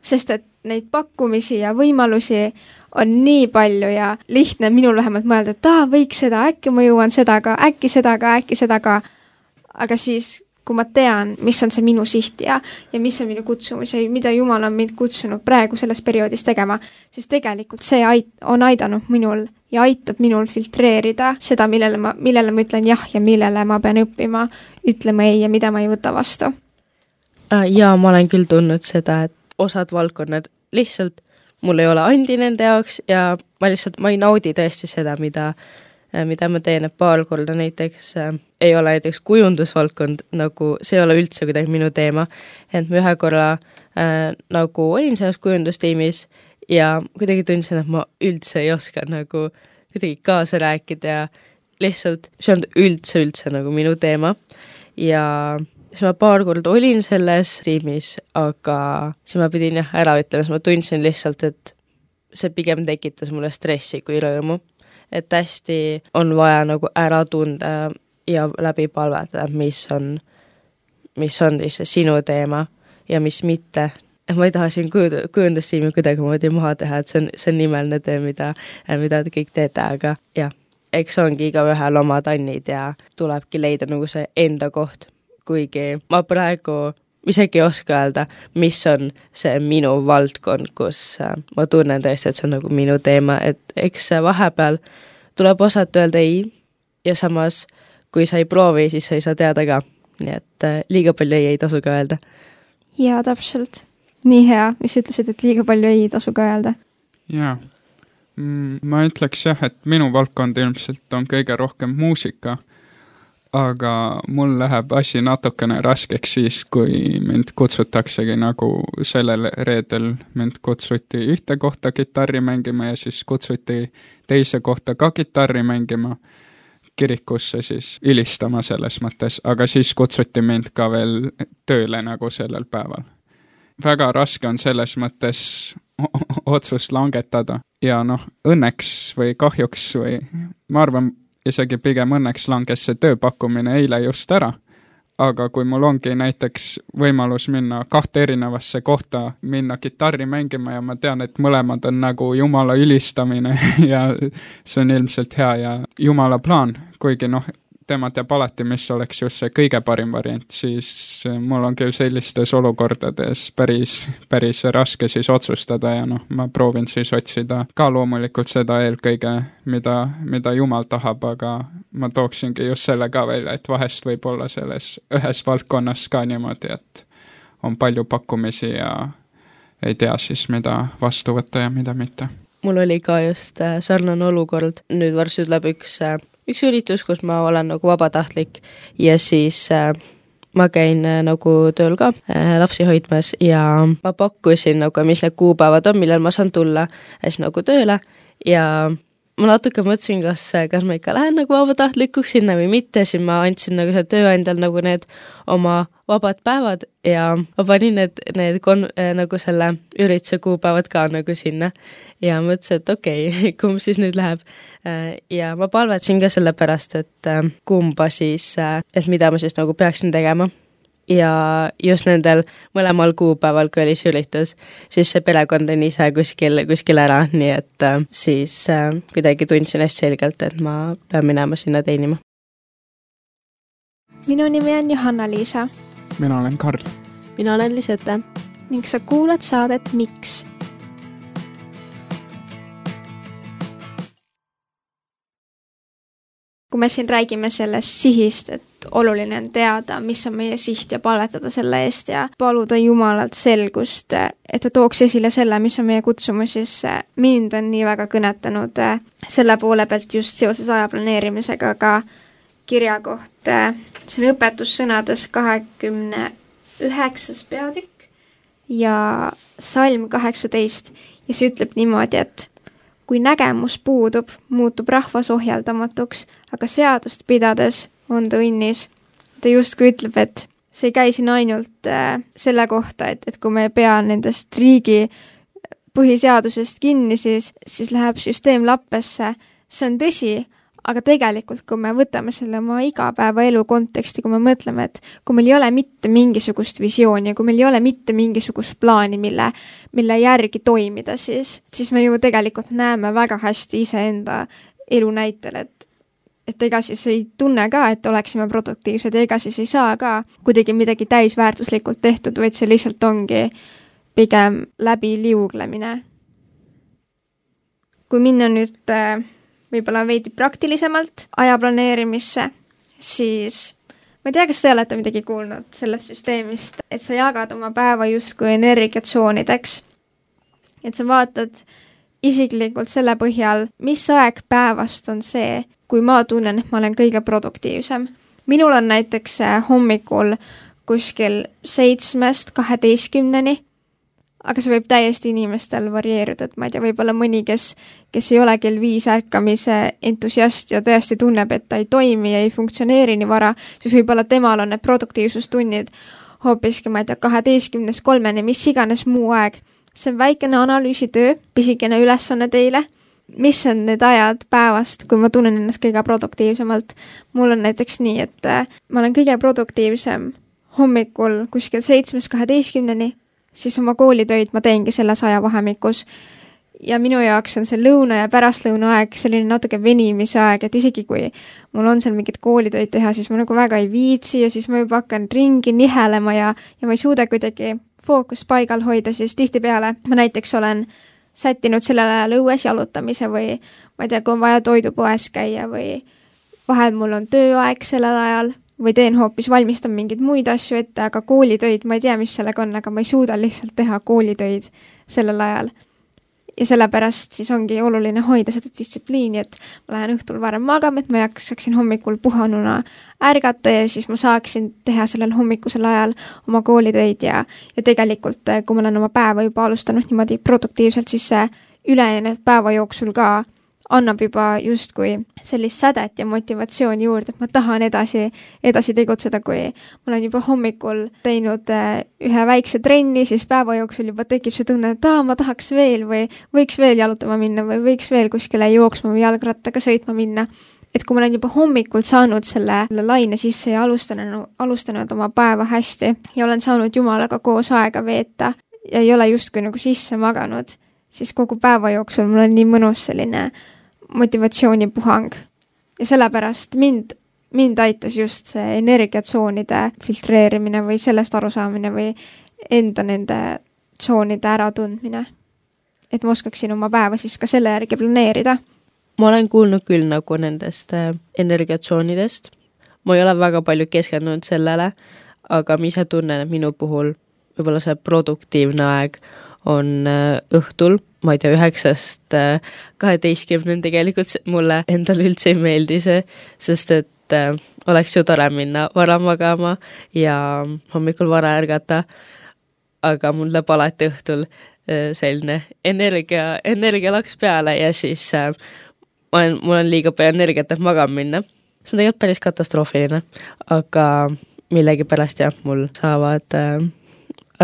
Sest et neid pakkumisi ja võimalusi on nii palju ja lihtne minul vähemalt mõelda, et võiks seda, äkki ma jõuan seda ka, äkki seda ka. Aga siis, kui ma tean, mis on see minu siht ja mis on minu kutsumus ja mida Jumal on mind kutsunud praegu selles perioodis tegema, siis tegelikult see on aidanud minul ja aitab minul filtreerida seda, millele ma ütlen jah ja millele ma pean õppima, ütlema ei ja mida ma ei võta vastu. Ja ma olen küll tundnud seda, et osad valdkonnad lihtsalt mul ei ole andi nende jaoks ja ma ei naudi tõesti seda, mida ma teen, et paar korda näiteks ei ole näiteks kujundusvaldkond, nagu see ei ole üldse kuidagi minu teema, et ma ühe korra nagu olin selles kujundustiimis ja kuidagi tundsin, et ma üldse ei oska nagu kuidagi kaasa rääkida ja lihtsalt see on üldse nagu minu teema ja siis ma paar korda olin selles tiimis, aga siis ma pidin ära ütlema, siis ma tundsin lihtsalt, et see pigem tekitas mulle stressi kui rõõmu. Et hästi on vaja nagu ära tunda ja läbi palvetada, mis on siis sinu teema ja mis mitte. Et ma ei taha siin kujundustiimi kuidagi moodi maha teha, et see on nimeline töö, mida te kõik teete, aga jah, eks ongi igaühel oma tannid ja tulebki leida nagu see enda koht. Kuigi ma praegu isegi ei oska öelda, mis on see minu valdkond, kus ma tunnen tõesti, et see on nagu minu teema, et eks vahepeal tuleb osata öelda ei ja samas, kui sa ei proovi, siis sa ei saa teada ka. Nii et liiga palju ei tasu ka öelda. Jaa, täpselt. Nii hea, mis ütlesid, et liiga palju ei tasu ka öelda. Jaa, Ma ütleks jah, et minu valdkond ilmselt on kõige rohkem muusika, aga mul läheb asi natukene raskeks siis, kui mind kutsutaksegi nagu sellel reedel mind kutsuti ühte kohta kitarri mängima ja siis kutsuti teise kohta ka kitarri mängima kirikusse siis ülistama selles mõttes, aga siis kutsuti mind ka veel tööle nagu sellel päeval. Väga raske on selles mõttes otsust langetada ja õnneks või kahjuks või ma arvan, isegi pigem õnneks langes see tööpakkumine eile just ära, aga kui mul ongi näiteks võimalus minna 2 erinevasse kohta, minna kitarri mängima ja ma tean, et mõlemad on nagu Jumala ülistamine ja see on ilmselt hea ja Jumala plaan, kuigi tema teab alati, mis oleks just see kõige parim variant, siis mul on küll sellistes olukordades päris raske siis otsustada ja ma proovin siis otsida ka loomulikult seda eelkõige, mida Jumal tahab, aga ma tooksingi just selle ka välja, et vahest võib olla selles ühes valdkonnas ka niimoodi, et on palju pakkumisi ja ei tea siis, mida vastu võtta ja mida mitte. Mul oli ka just sarnane olukord, nüüd varsti tuleb üks üritus, kus ma olen nagu vabatahtlik ja siis ma käin nagu tööl ka lapsi hoidmas ja ma pakkusin nagu, mis need kuupäevad on, millal ma saan tulla siis nagu tööle ja ma natuke mõtlesin, kas ma ikka lähen nagu vabatahtlikuks sinna või mitte, siis ma andsin nagu see tööandjal nagu need oma vabad päevad ja ma panin need nagu selle ürituse kuupäevad ka nagu sinna ja mõtlesin, et okei, kumb siis nüüd läheb. Ja ma palvetasin ka selle pärast, et kumba siis, et mida ma siis nagu peaksin tegema. Ja just nendel mõlemal kuupäeval, kui oli see üritus, siis see perekond on ise kuskil ära, nii et siis kuidagi tundsin hästi selgelt, et ma pean minema sinna teenima. Minu nimi on Johanna-Liisa. Mina olen Karl. Mina olen Lisette. Ning sa kuulad saadet Miks? Kui me siin räägime sellest sihist, et oluline on teada, mis on meie siht ja palvetada selle eest ja paluda Jumalalt selgust, et ta tooks esile selle, mis on meie kutsumus, siis mind on nii väga kõnetanud selle poole pealt just seoses aja planeerimisega, aga kirja koht, see on õpetussõnades 29. peatükk ja salm 18 ja see ütleb niimoodi, et kui nägemus puudub, muutub rahvas ohjeldamatuks, aga seadust pidades on ta õnnis. Ta justkui ütleb, et see ei käi siin ainult selle kohta, et kui me ei pea nendest riigi põhiseadusest kinni, siis läheb süsteem lappesse. See on tõsi, aga tegelikult, kui me võtame selle oma igapäevaelu konteksti, kui me mõtleme, et kui meil ei ole mitte mingisugust visiooni ja kui meil ei ole mitte mingisugust plaani, mille järgi toimida, siis me ju tegelikult näeme väga hästi iseenda elu näitel, et ega siis ei tunne ka, et oleksime produktiivsed ja ega siis ei saa ka kuidagi midagi täisväärtuslikult tehtud, vaid see lihtsalt ongi pigem läbi liuglemine. Kui minna nüüd võib-olla veidi praktilisemalt aja planeerimisse, siis ma ei tea, kas te olete midagi kuulnud sellest süsteemist, et sa jagad oma päeva justkui energiatsoonideks. Et sa vaatad isiklikult selle põhjal, mis aeg päevast on see, kui ma tunnen, et ma olen kõige produktiivsem. Minul on näiteks hommikul kuskil 7-12, aga see võib täiesti inimestel varieeruda, et ma ei tea, võib-olla mõni, kes ei ole kell 5 ärkamise entusiast ja tõesti tunneb, et ta ei toimi ja ei funktsioneeri nii vara, siis võib-olla temal on need produktiivsustunnid hoopiski, ma ei tea, 12-3, mis iganes muu aeg. See on väikene analüüsitöö, pisikene ülesanne teile. Mis on need ajad päevast, kui ma tunnen ennast kõige produktiivsemalt? Mul on näiteks nii, et ma olen kõige produktiivsem hommikul kuskil 7-12, siis oma koolitöid ma teengi selles ajavahemikus. Ja minu jaoks on see lõuna ja pärastlõuna aeg selline natuke venimise aeg, et isegi kui mul on seal mingid koolitöid teha, siis ma nagu väga ei viitsi ja siis ma juba hakkan ringi nihelema ja ma ei suuda kuidagi fookust paigal hoida, siis tihtipeale ma näiteks olen sättinud sellel ajal õues jalutamise või ma ei tea, kui on vaja toidupoes käia või vahel mul on tööaeg sellel ajal või teen hoopis, valmistan mingeid muid asju ette, aga koolitöid, ma ei tea, mis sellega on, aga ma ei suuda lihtsalt teha koolitöid sellel ajal. ja sellepärast siis ongi oluline hoida seda distsipliini, et ma lähen õhtul varem magama, et ma jaksaksin hommikul puhanuna ärgata ja siis ma saaksin teha sellel hommikusel ajal oma koolitöid ja tegelikult, kui ma olen oma päeva juba alustanud niimoodi produktiivselt, siis see ülejäänud päeva jooksul ka annab juba justkui sellist sädet ja motivatsiooni juurde, et ma tahan edasi tegutseda, kui ma olen juba hommikul teinud ühe väikse trenni, siis päeva jooksul juba tekib see tunne, et ma tahaks veel või võiks veel jalutama minna või võiks veel kuskile jooksma või jalgrattaga sõitma minna. Et kui ma olen juba hommikult saanud selle laine sisse ja alustanud oma päeva hästi ja olen saanud Jumalaga koos aega veeta ja ei ole justkui nagu sisse maganud, siis kogu päeva jooksul mul on nii mõnus selline motivatsioonipuhang. Ja sellepärast mind aitas just see energiatsoonide filtreerimine või sellest arusaamine või enda nende tsoonide äratundmine. Et ma oskaksin oma päeva siis ka selle järgi planeerida. Ma olen kuulnud küll nagu nendest energiatsoonidest. Ma ei ole väga palju keskendunud sellele, aga ma ise tunnen, et minu puhul võib-olla see produktiivne aeg on õhtul, ma ei tea, 9-12 tegelikult mulle endale üldse ei meeldi see, sest et oleks ju tore minna vara magama ja hommikul vara ärgata, aga mul läheb alati õhtul selline energia laks peale ja siis mul on liiga palju energiat, et magama minna. See on tegelikult päris katastroofiline, aga millegipärast jah, mul saavad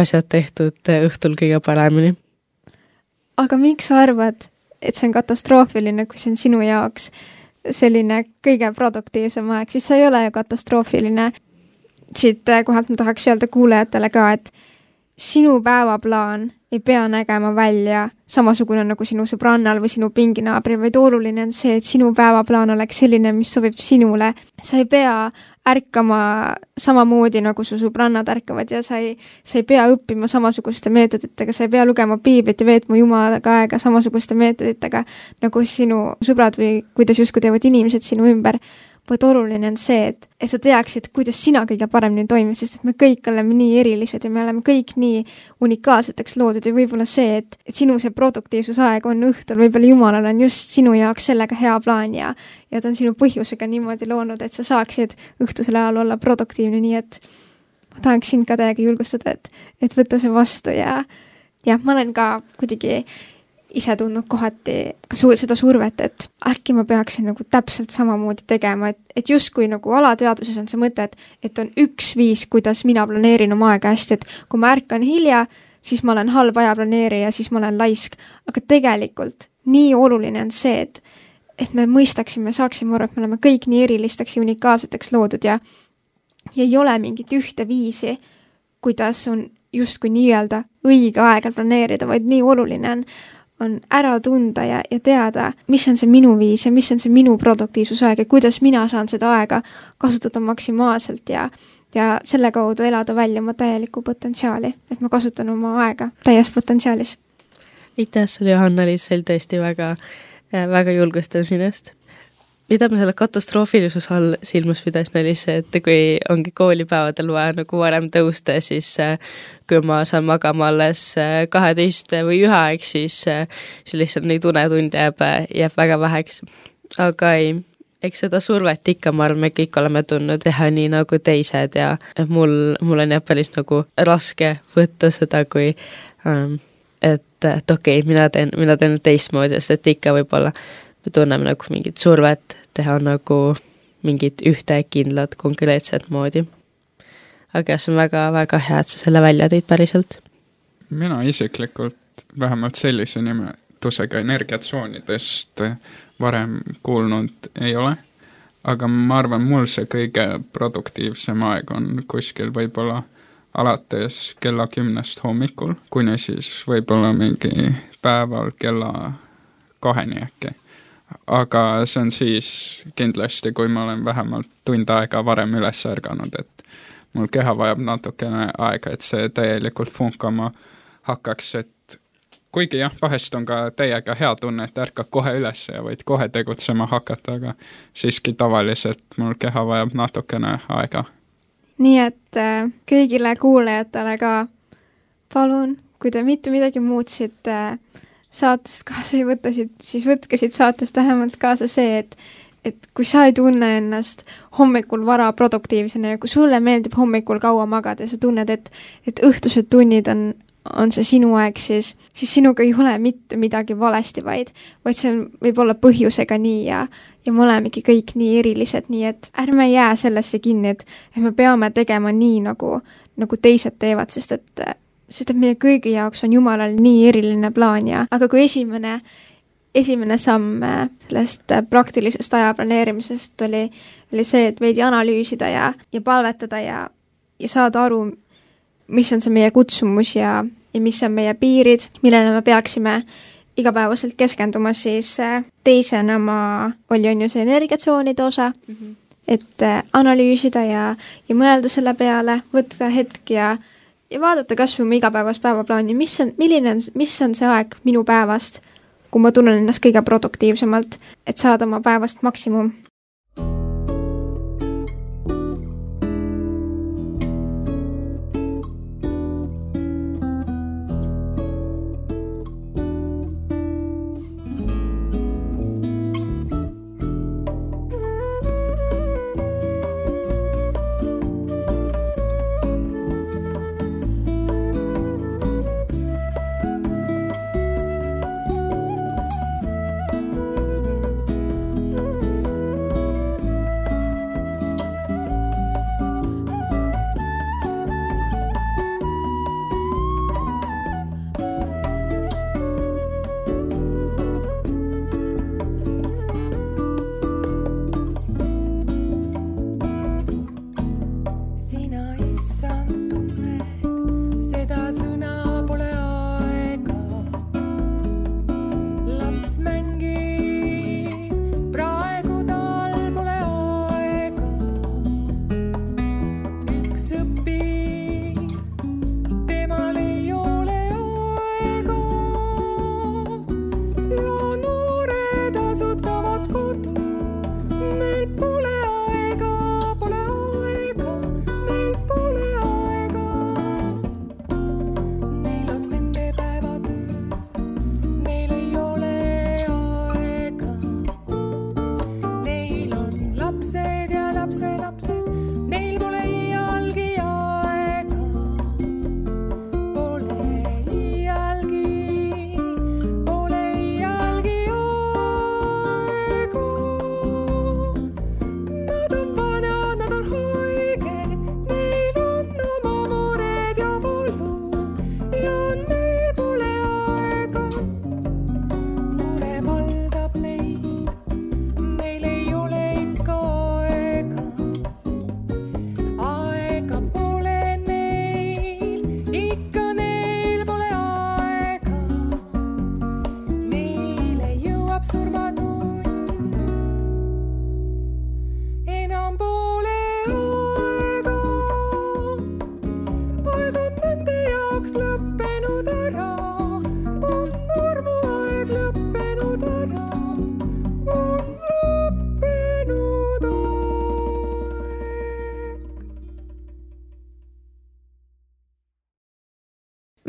asjad tehtud õhtul kõige paremini. Aga miks sa arvad, et see on katastroofiline, kui see on sinu jaoks selline kõige produktiivsem aeg, siis see ei ole ju katastroofiline. Siit kohalt ma tahaks öelda kuulajatele ka, et sinu päevaplaan ei pea nägema välja samasugune nagu sinu sõbrannal või sinu pinginaabri, vaid oluline on see, et sinu päevaplaan oleks selline, mis sobib sinule. Sa ei pea ärkama samamoodi, nagu su sõbrannad ärkavad ja sa ei pea õppima samasuguste meetoditega, sa ei pea lugema piiblit ja veetma Jumalaga aega samasuguste meetoditega, nagu sinu sõbrad või kuidas justkui teevad inimesed sinu ümber. Vaid oluline on see, et sa teaksid, kuidas sina kõige paremini toimid, sest et me kõik oleme nii erilised ja me oleme kõik nii unikaalseteks loodud ja võib-olla see, et sinu see produktiivsusaeg on õhtul, võib-olla Jumalal on just sinu jaoks sellega hea plaan ja ta on sinu põhjusega niimoodi loonud, et sa saaksid õhtusel ajal olla produktiivne, nii et ma tahaks sind ka täiega julgustada, et võtta see vastu ja ma olen ka kuidagi ise tundnud kohati seda survet, et äkki ma peaksin nagu täpselt samamoodi tegema, et justkui nagu alateadvuses on see mõte, et on üks viis, kuidas mina planeerin oma aega hästi, et kui ma ärkan hilja, siis ma olen halb ajaplaneerija, siis ma olen laisk, aga tegelikult nii oluline on see, et me mõistaksime, saaksime aru, et me oleme kõik nii erilisteks ja unikaalseteks loodud ja ei ole mingit ühte viisi, kuidas on justkui nii-öelda õige aega planeerida, vaid nii oluline on ära tunda ja teada, mis on see minu viis ja mis on see minu produktiivsusaeg ja kuidas mina saan seda aega kasutada maksimaalselt ja selle kaudu elada välja oma täielikku potentsiaali, et ma kasutan oma aega täies potentsiaalis. Aitäh sulle, Johanna-Liis, see oli tõesti väga, väga julgustav sinust. Mida ma selle katastroofilisus all silmas pidasin, oli see, et kui ongi koolipäevadel vaja nagu varem tõusta, siis kui ma saan magama alles 12 või 1 aeg, siis lihtsalt neid unetunde jääb väga väheks. Aga ei, eks seda survet ikka, ma arvan, me kõik oleme tundnud teha nii nagu teised ja mul on jah päris nagu raske võtta seda, kui et okei, mina teen teistmoodi, sest et ikka võib-olla me tunneme nagu mingit survet teha nagu mingit ühte kindlat konkreetset moodi. Aga see on väga-väga hea, et sa selle välja tõid päriselt. Mina isiklikult vähemalt sellise nimetusega energiatsoonidest varem kuulnud ei ole, aga ma arvan, mul see kõige produktiivsem aeg on kuskil võib-olla alates kella 10 hommikul, kuni siis võib-olla mingi päeval kella 2 äkki. Aga see on siis kindlasti, kui ma olen vähemalt tund aega varem üles ärganud, et mul keha vajab natukene aega, et see täielikult funkama hakkaks, et kuigi jah, vahest on ka täiega hea tunne, et ärkad kohe üles ja võid kohe tegutsema hakata, aga siiski tavaliselt mul keha vajab natukene aega. Nii et kõigile kuulajatele ka palun, kui te mitte midagi muutsite, saatest kaasa ei võta, siis võtke siit saatest vähemalt kaasa see, et kui sa ei tunne ennast hommikul vara produktiivsena ja kui sulle meeldib hommikul kaua magada ja sa tunned, et õhtused tunnid on see sinu aeg, siis sinuga ei ole mitte midagi valesti, vaid see võib olla põhjusega nii ja me olemegi kõik nii erilised, nii et ärme jää sellesse kinni, et me peame tegema nii, nagu teised teevad, sest et meie kõigi jaoks on Jumalal nii eriline plaan aga kui esimene samm sellest praktilisest aja planeerimisest oli see, et veidi analüüsida ja palvetada ja saada aru, mis on see meie kutsumus ja mis on meie piirid, millele me peaksime igapäevaselt keskenduma, siis teisena oli ju see energiatsoonide osa, et analüüsida ja mõelda selle peale, võtta hetk ja vaadata kas või oma igapäevast päevaplaani, mis on see aeg minu päevast, kui ma tunnen ennast kõige produktiivsemalt, et saada oma päevast maksimum.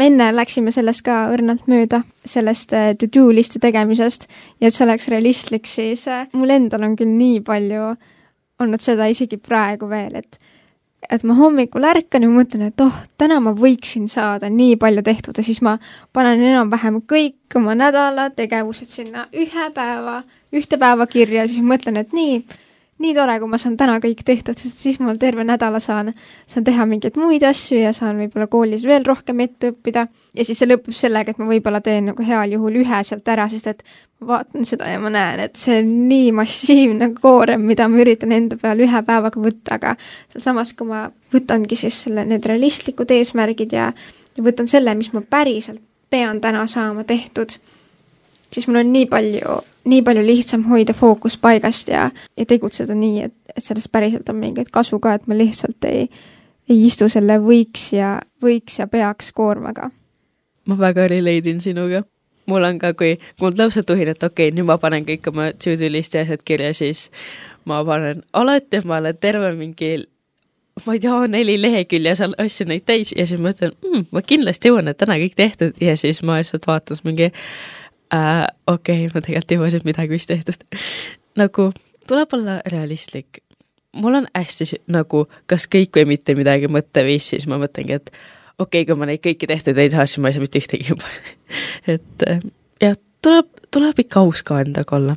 Me enne läksime sellest ka õrnalt mööda, sellest to-do listi tegemisest ja et see oleks realistlik, siis mul endal on küll nii palju olnud seda isegi praegu veel, et ma hommikul ärkan ja mõtlen, et täna ma võiksin saada nii palju tehtud ja siis ma panen enam-vähem kõik oma nädala tegevused sinna ühte päeva kirja ja siis mõtlen, et nii tore, kui ma saan täna kõik tehtud, sest siis mul terve nädala saan teha mingeid muid asju ja saan võib-olla koolis veel rohkem ette õppida. Ja siis see lõpeb sellega, et ma võib-olla teen nagu heal juhul ühe sealt ära, sest et ma vaatan seda ja ma näen, et see on nii massiivne koorem, mida ma üritan enda peal ühe päevaga võtta, aga samas, kui ma võtangi siis need realistlikud eesmärgid ja võtan selle, mis ma päriselt pean täna saama tehtud, siis mul on nii palju lihtsam hoida fookus paigast ja tegutseda nii, et sellest päriselt on mingeid kasu ka, et ma lihtsalt ei istu selle võiks ja peaks koormaga. Ma väga relate'in sinuga. Mul on ka, kui mul lausa tuhin, et okei, nüüd ma panen kõik oma to-do listi asjad kirja, siis ma panen alati, ma olen terve mingi, ma ei tea, 4 lehekülje seal asju neid täis ja siis ma ütlen, ma kindlasti jõuan, et täna kõik tehtud ja siis ma lihtsalt vaatan mingi Okei, ma tegelikult ei hoosinud midagi vist tehtud. Nagu tuleb olla realistlik. Mul on hästi nagu kas kõik või mitte midagi mõtteviis, siis ma mõtlengi, et okei, kui ma neid kõiki tehtud ei saa, siis ma ei saa mitte ühtegi juba. Et ja tuleb ikka aus ka endaga olla.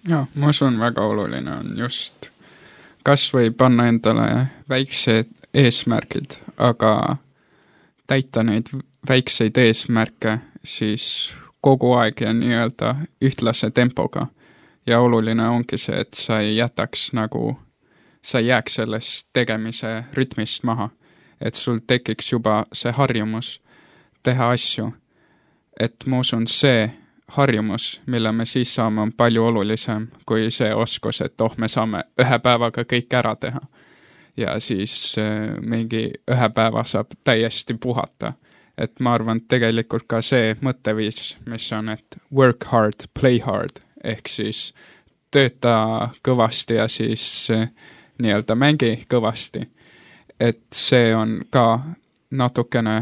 Ja, ma usun väga oluline on just kas või panna endale väiksed eesmärgid, aga täita neid väikseid eesmärke siis kogu aeg ja nii-öelda ühtlase tempoga. Ja oluline ongi see, et sa ei jätaks nagu, sa ei jääks sellest tegemise rütmist maha. Et sul tekiks juba see harjumus teha asju. Et ma usun see harjumus, mille me siis saame, on palju olulisem kui see oskus, et me saame ühe päevaga kõik ära teha. Ja siis mingi ühe päeva saab täiesti puhata. Et ma arvan, et tegelikult ka see mõtteviis, mis on, et work hard, play hard, ehk siis tööta kõvasti ja siis nii-öelda mängi kõvasti. Et see on ka natukene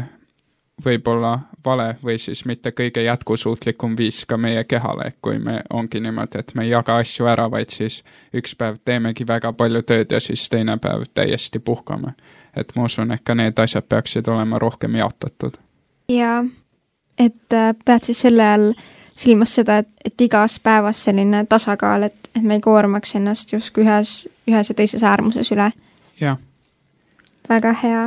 võib-olla vale või siis mitte kõige jätkusuutlikum viis ka meie kehale, kui me ongi niimoodi, et me ei jaga asju ära, vaid siis üks päev teemegi väga palju tööd ja siis teine päev täiesti puhkame. Et ma usun, et ka need asjad peaksid olema rohkem jaotatud. Ja, et pead siis selle all silmas seda, et igas päevas selline tasakaal, et me ei koormaks ennast justkui ühes ja teises äärmuses üle. Jah. Väga hea.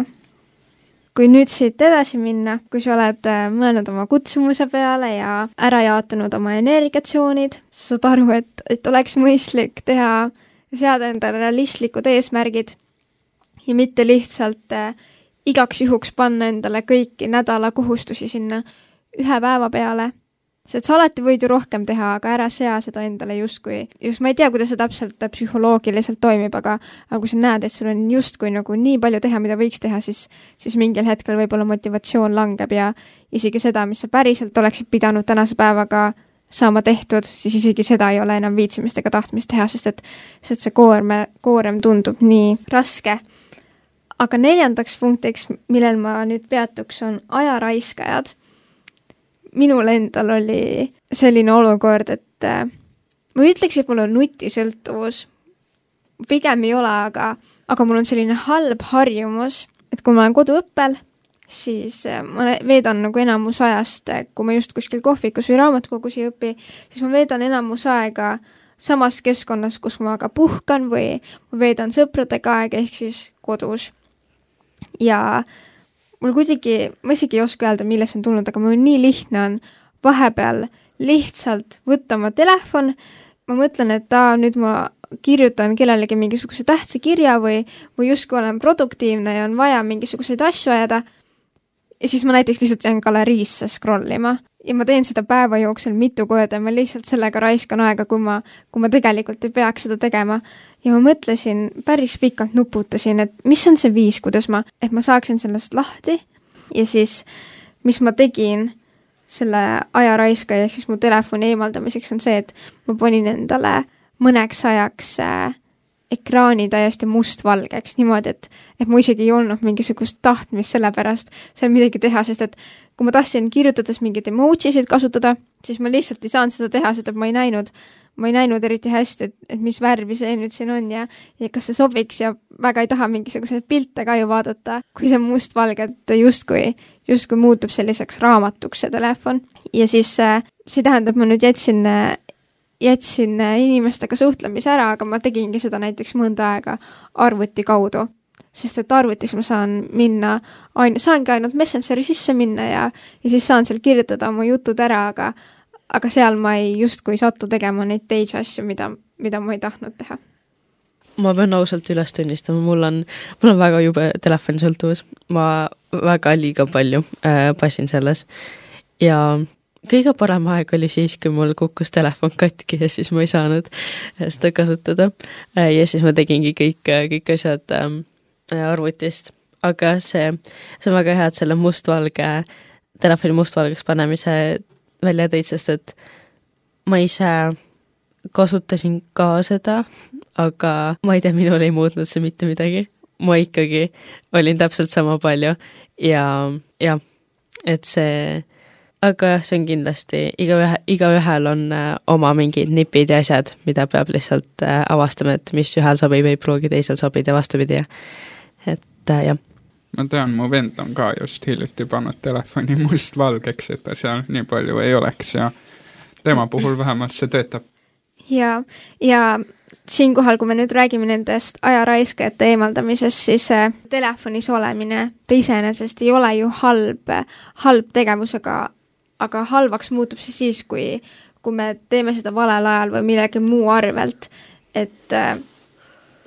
Kui nüüd siit edasi minna, kui sa oled mõelnud oma kutsumuse peale ja ära jaotanud oma energiatsioonid, sa saad aru, et oleks mõistlik teha ja seada endale realistlikud eesmärgid ja mitte lihtsalt igaks juhuks panna endale kõiki nädala kohustusi sinna ühe päeva peale. Sest sa alati võid ju rohkem teha, aga ära sea seda endale justkui. Just ma ei tea, kuidas see täpselt psühholoogiliselt toimib, aga kui sa näed, et sul on justkui nagu nii palju teha, mida võiks teha, siis mingil hetkel võib-olla motivatsioon langeb ja isegi seda, mis sa päriselt oleksid pidanud tänase päevaga saama tehtud, siis isegi seda ei ole enam viitsimist ega tahtmist teha, sest et see koorem tundub nii raske. Aga 4. punktiks, millel ma nüüd peatuks, on ajaraiskajad. Minul endal oli selline olukord, et ma ütleks, et mul on nutisõltuvus. Pigem ei ole, aga mul on selline halb harjumus, et kui ma olen koduõppel, siis ma veedan nagu enamus ajast, kui ma just kuskil kohvikus või raamatukogus ei õpi, siis ma veedan enamus aega samas keskkonnas, kus ma ka puhkan või ma veedan sõpradega aega ehk siis kodus. Ja mul kuidagi, ma isegi ei oska öelda, milles on tulnud, aga mul nii lihtne on vahepeal lihtsalt võtta oma telefon. Ma mõtlen, et nüüd ma kirjutan kellelegi mingisuguse tähtsa kirja või justkui olen produktiivne ja on vaja mingisuguseid asju ajada. Ja siis ma näiteks lihtsalt jään galeriisse scrollima ja ma teen seda päeva jooksul mitu korda ja ma lihtsalt sellega raiskan aega, kui ma tegelikult ei peaks seda tegema. Ja ma mõtlesin, päris pikalt nuputasin, et mis on see viis, kuidas ma saaksin sellest lahti ja siis, mis ma tegin selle ajaraiska ja siis mu telefoni eemaldamiseks on see, et ma panin endale mõneks ajaks ekraani täiesti mustvalgeks niimoodi, et mu isegi ei olnud mingisugust tahtmist selle pärast seal midagi teha, sest et kui ma tahtsin kirjutades mingeid emojisid kasutada, siis ma lihtsalt ei saanud seda teha, sest et ma ei näinud eriti hästi, et mis värvi see nüüd siin on ja kas see sobiks ja väga ei taha mingisuguseid pilte ka ju vaadata, kui see mustvalge, et justkui muutub selliseks raamatuks see telefon. Ja siis see tähendab, ma nüüd jätsin inimestega suhtlemise ära, aga ma tegingi seda näiteks mõnda aega arvuti kaudu. Sest et arvutis ma saangi ainult Messengeri sisse minna ja siis saan seal kirjutada oma jutud ära, aga seal ma ei justkui sattu tegema neid teisi asju, mida ma ei tahtnud teha. Ma pean ausalt üles tunnistama, mul on väga jube telefonisõltuvus. Ma väga liiga palju passin selles ja kõige parem aeg oli siis, kui mul kukkus telefon katki ja siis ma ei saanud seda kasutada. Ja siis ma tegingi kõik asjad arvutist. Aga see on väga hea, et selle telefoni mustvalgeks panemise välja tõid, sest et ma ise kasutasin ka seda, aga ma ei tea, minul ei muutnud see mitte midagi. Ma ikkagi olin täpselt sama palju ja et see aga jah, see on kindlasti, igaühel on oma mingid nipid ja asjad, mida peab lihtsalt avastama, et mis ühel sobib, ei pruugi teisel sobida ja vastupidi. Et jah. Ma tean, mu vend on ka just hiljuti pannud telefoni mustvalgeks, et ta seal nii palju ei oleks ja tema puhul vähemalt see töötab. Ja siinkohal, kui me nüüd räägime nendest ajaraiskajate eemaldamisest, siis telefonis olemine ta iseenesest ei ole ju halb tegevus, aga halvaks muutub siis, kui me teeme seda valel ajal või millegi muu arvelt. Et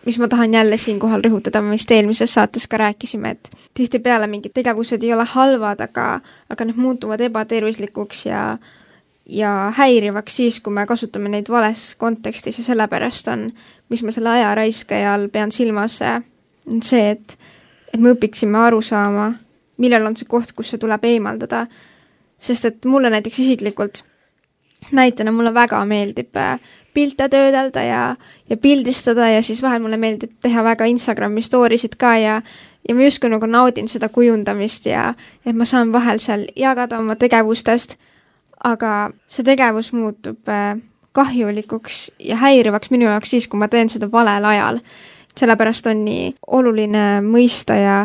mis ma tahan jälle siinkohal rõhutada, me vist eelmises saates ka rääkisime, et tihtipeale mingid tegevused ei ole halvad, aga need muutuvad ebatervislikuks ja häirivaks siis, kui me kasutame neid vales kontekstis ja sellepärast on, mis ma selle ajaraiskaja all pean silmas, on see, et me õpiksime aru saama, millal on see koht, kus see tuleb eemaldada. Sest et mulle näiteks isiklikult näitena mulle väga meeldib pilte töödelda ja pildistada ja siis vahel mulle meeldib teha väga Instagrami storysid ka ja ma justkui nagu naudin seda kujundamist ja et ma saan vahel seal jagada oma tegevustest, aga see tegevus muutub kahjulikuks ja häirivaks minu jaoks siis, kui ma teen seda valel ajal. Sellepärast on nii oluline mõista ja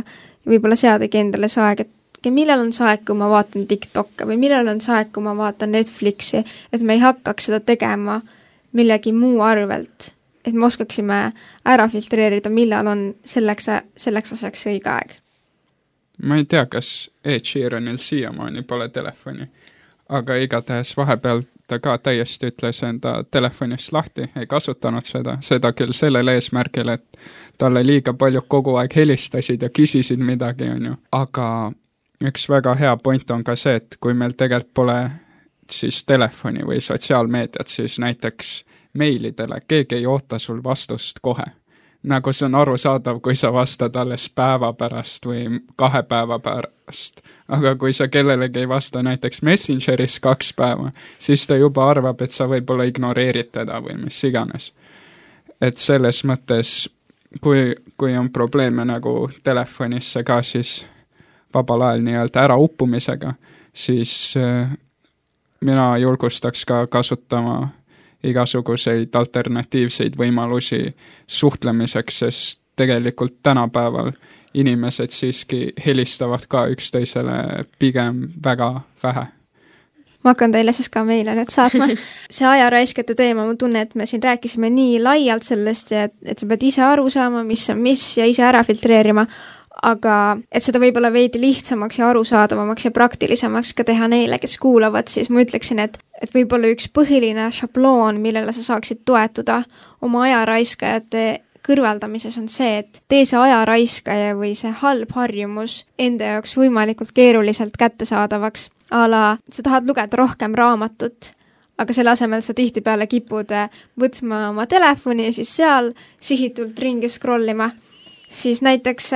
võib-olla seadagi endale see aeg, et millal on see aeg, kui ma vaatan TikTok'e või millal on see aeg, kui ma vaatan Netflixi, et me ei hakkaks seda tegema millegi muu arvelt, et me oskaksime ära filtreerida, millal on selleks asjaks õige aeg. Ma ei tea, kas Ed Sheeranil siiamaani pole telefoni, aga igatahes vahepeal ta ka täiesti ütles enda telefonist lahti, ei kasutanud seda küll sellel eesmärgil, et talle liiga palju kogu aeg helistasid ja küsisid midagi, on ju. Aga üks väga hea point on ka see, et kui meil tegelikult pole siis telefoni või sotsiaalmeediat, siis näiteks meilidele keegi ei oota sul vastust kohe. Nagu see on arusaadav, kui sa vastad alles päeva pärast või 2 päeva pärast. Aga kui sa kellelegi ei vasta näiteks Messengeris 2 päeva, siis ta juba arvab, et sa võib-olla ignoreerid teda või mis iganes. Et selles mõttes, kui on probleeme nagu telefonisse ka, siis vabal ajal nii-öelda ära uppumisega, siis mina julgustaks ka kasutama igasuguseid alternatiivseid võimalusi suhtlemiseks, sest tegelikult tänapäeval inimesed siiski helistavad ka üksteisele pigem väga vähe. Ma hakkan teile siis ka meile nüüd saatma. See ajaraiskate teema, ma tunnen, et me siin rääkisime nii laialt sellest, et sa pead ise aru saama, mis on mis ja ise ära filtreerima, aga et seda võib-olla veidi lihtsamaks ja arusaadavamaks ja praktilisemaks ka teha neile, kes kuulavad, siis ma ütleksin, et võib-olla üks põhiline šabloon, millele sa saaksid toetuda oma ajaraiskajate kõrvaldamises on see, et tee see ajaraiskaja või see halb harjumus enda jaoks võimalikult keeruliselt kättesaadavaks. Ala, sa tahad lugeda rohkem raamatut, aga selle asemel sa tihtipeale kipud võtma oma telefoni ja siis seal sihitult ringi scrollima. Siis näiteks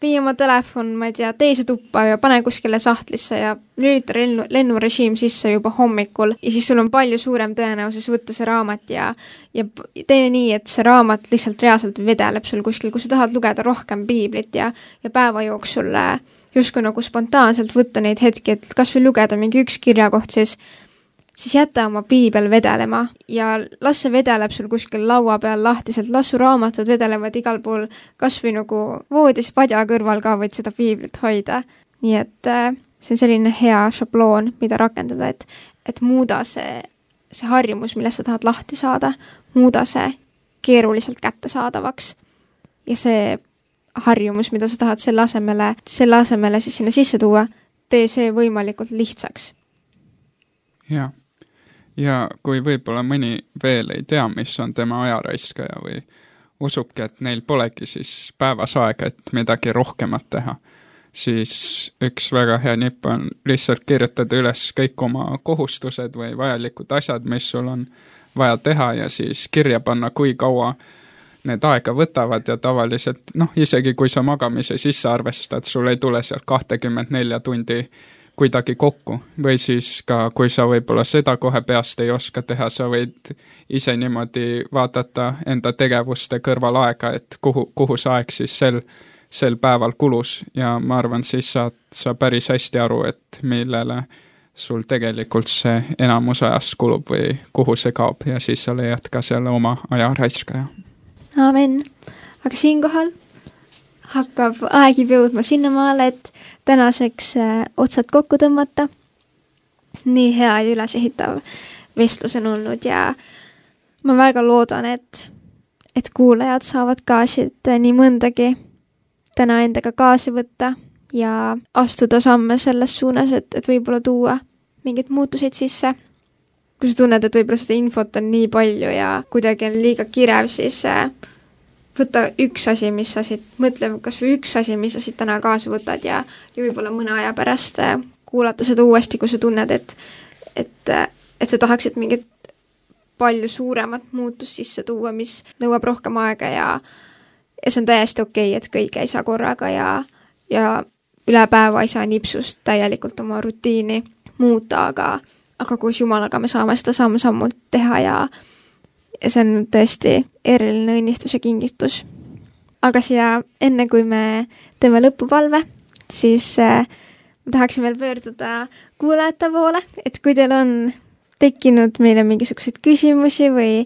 vii oma telefon, ma ei tea, teise tuppa ja pane kuskile sahtlisse ja lülita lennurežiim sisse juba hommikul ja siis sul on palju suurem tõenäosus võtta see raamat ja tee nii, et see raamat lihtsalt reaalselt vedeleb sul kuskil, kui sa tahad lugeda rohkem piiblit ja päeva jooksul justkui nagu spontaanselt võtta neid hetki, et kas või lugeda mingi üks kirjakoht, siis jäta oma piibel vedelema ja las see vedeleb sul kuskil laua peal lahtiselt, las su raamatud vedelevad igal pool, kas või nagu voodis padja kõrval ka võid seda piiblit hoida. Nii et see on selline hea šabloon, mida rakendada, et muuda see harjumus, millest sa tahad lahti saada, muuda see keeruliselt kättesaadavaks ja see harjumus, mida sa tahad selle asemele siis sinna sisse tuua, tee see võimalikult lihtsaks. Ja kui võib-olla mõni veel ei tea, mis on tema ajaraiskaja või usubki, et neil polegi siis päevas aega, et midagi rohkemat teha, siis üks väga hea nipp on lihtsalt kirjutada üles kõik oma kohustused või vajalikud asjad, mis sul on vaja teha ja siis kirja panna, kui kaua need aega võtavad ja tavaliselt, isegi kui sa magamise sisse arvestad, sul ei tule sealt 24 tundi kuidagi kokku või siis ka, kui sa võib-olla seda kohe peast ei oska teha, sa võid ise niimoodi vaadata enda tegevuste kõrval aega, et kuhu see aeg siis sel päeval kulus ja ma arvan, siis saad sa päris hästi aru, et millele sul tegelikult see enamus ajast kulub või kuhu see kaob ja siis sa leiad ka selle oma aja raiskaja. Aamen. Aga siinkohal hakkab aeg juba jõudma sinnamaale, et tänaseks otsad kokku tõmmata. Nii hea ja ülesehitav vestlus on olnud ja ma väga loodan, et kuulajad saavad ka siit nii mõndagi täna endaga kaasa võtta ja astuda samme selles suunas, et võib-olla tuua mingeid muutuseid sisse. Kui sa tunned, et võib-olla seda infot on nii palju ja kuidagi on liiga kirev, siis võta üks asi, mis sa siit, mõtle kas või üks asi, mis sa siit täna kaasa võtad ja võib-olla mõne aja pärast kuulata seda uuesti, kui sa tunned, et sa tahaksid mingit palju suuremat muutust sisse tuua, mis nõuab rohkem aega ja see on täiesti okei, et kõike ei saa korraga ja üle päeva ei saa nipsust täielikult oma rutiini muuta, aga koos Jumalaga me saame seda samm-sammult teha ja see on tõesti eriline õnnistus ja kingitus. Aga siia enne, kui me teeme lõpupalve, siis ma tahaksin veel pöörduda kuulajate poole, et kui teil on tekkinud meile mingisuguseid küsimusi või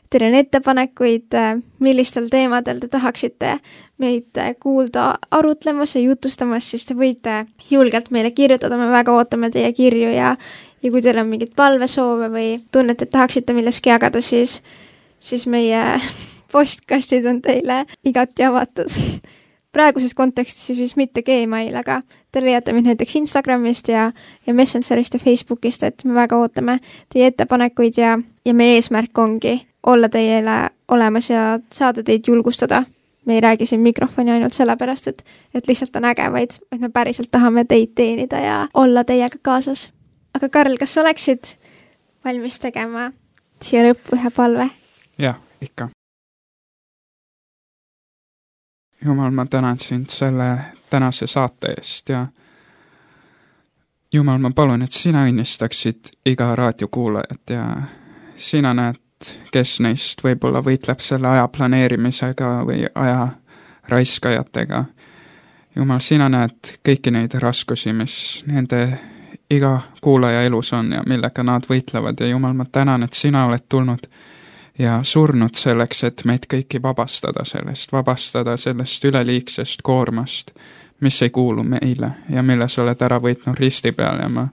teil on ettepanekuid, millistel teemadel te tahaksite meid kuulda arutlemas ja jutustamas, siis te võite julgelt meile kirjutada, me väga ootame teie kirju ja kui teil on mingid palvesoove või tunnete, et tahaksite milleski jagada, siis meie postkastid on teile igati avatud. Praeguses kontekstis siis mitte Gmail, aga te leiate mind näiteks Instagramist ja Messengerist ja Facebookist, et me väga ootame teie ettepanekuid ja meie eesmärk ongi olla teile olemas ja saada teid julgustada. Me ei räägi siin mikrofoni ainult sellepärast, et lihtsalt on äge, vaid me päriselt tahame teid teenida ja olla teiega kaasas. Aga Karl, kas oleksid valmis tegema siia lõppu ühe palve? Jah, ikka. Jumal, ma tänan sind selle tänase saate eest ja Jumal, ma palun, et sina õnnistaksid iga raadiokuulajat ja sina näed, kes neist võib-olla võitleb selle aja planeerimisega või aja raiskajatega. Jumal, sina näed kõiki neid raskusi, mis nende iga kuulaja elus on ja millega nad võitlevad ja Jumal, ma tänan, et sina oled tulnud ja surnud selleks, et meid kõiki vabastada sellest üleliigsest koormast, mis ei kuulu meile ja mille sa oled ära võitnud risti peal ja ma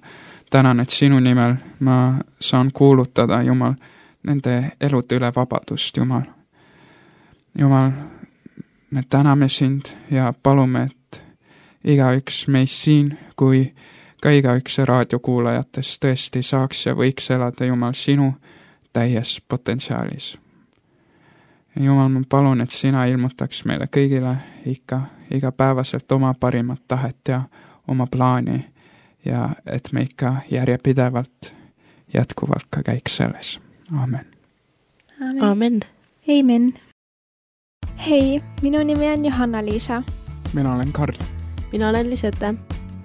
tänan, et sinu nimel ma saan kuulutada, Jumal, nende elude üle vabadust, Jumal. Jumal, me täname sind ja palume, et igaüks meist siin, kui ka igaüks raadiokuulajatest tõesti saaks ja võiks elada, Jumal, sinu täies potentsiaalis. Jumal, ma palun, et sina ilmutaks meile kõigile igapäevaselt oma parimat tahet ja oma plaani ja et me ikka järjepidevalt jätkuvalt ka käiks selles. Aamen. Aamen. Amen. Hei, minu nimi on Johanna-Liisa. Mina olen Karl. Mina olen Lisette.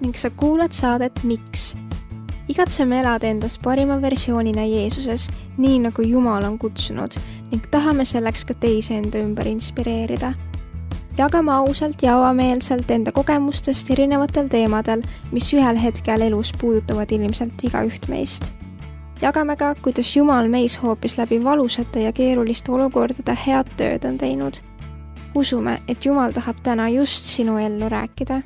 Ning sa kuulad saadet Miks? Igatseme elada endast parima versioonina Jeesuses, nii nagu Jumal on kutsunud ning tahame selleks ka teisi enda ümber inspireerida. Jagame ausalt ja avameelselt enda kogemustest erinevatel teemadel, mis ühel hetkel elus puudutavad ilmselt igaüht meist. Jagame ka, kuidas Jumal meis hoopis läbi valusate ja keeruliste olukordade head tööd on teinud. Usume, et Jumal tahab täna just sinu ellu rääkida.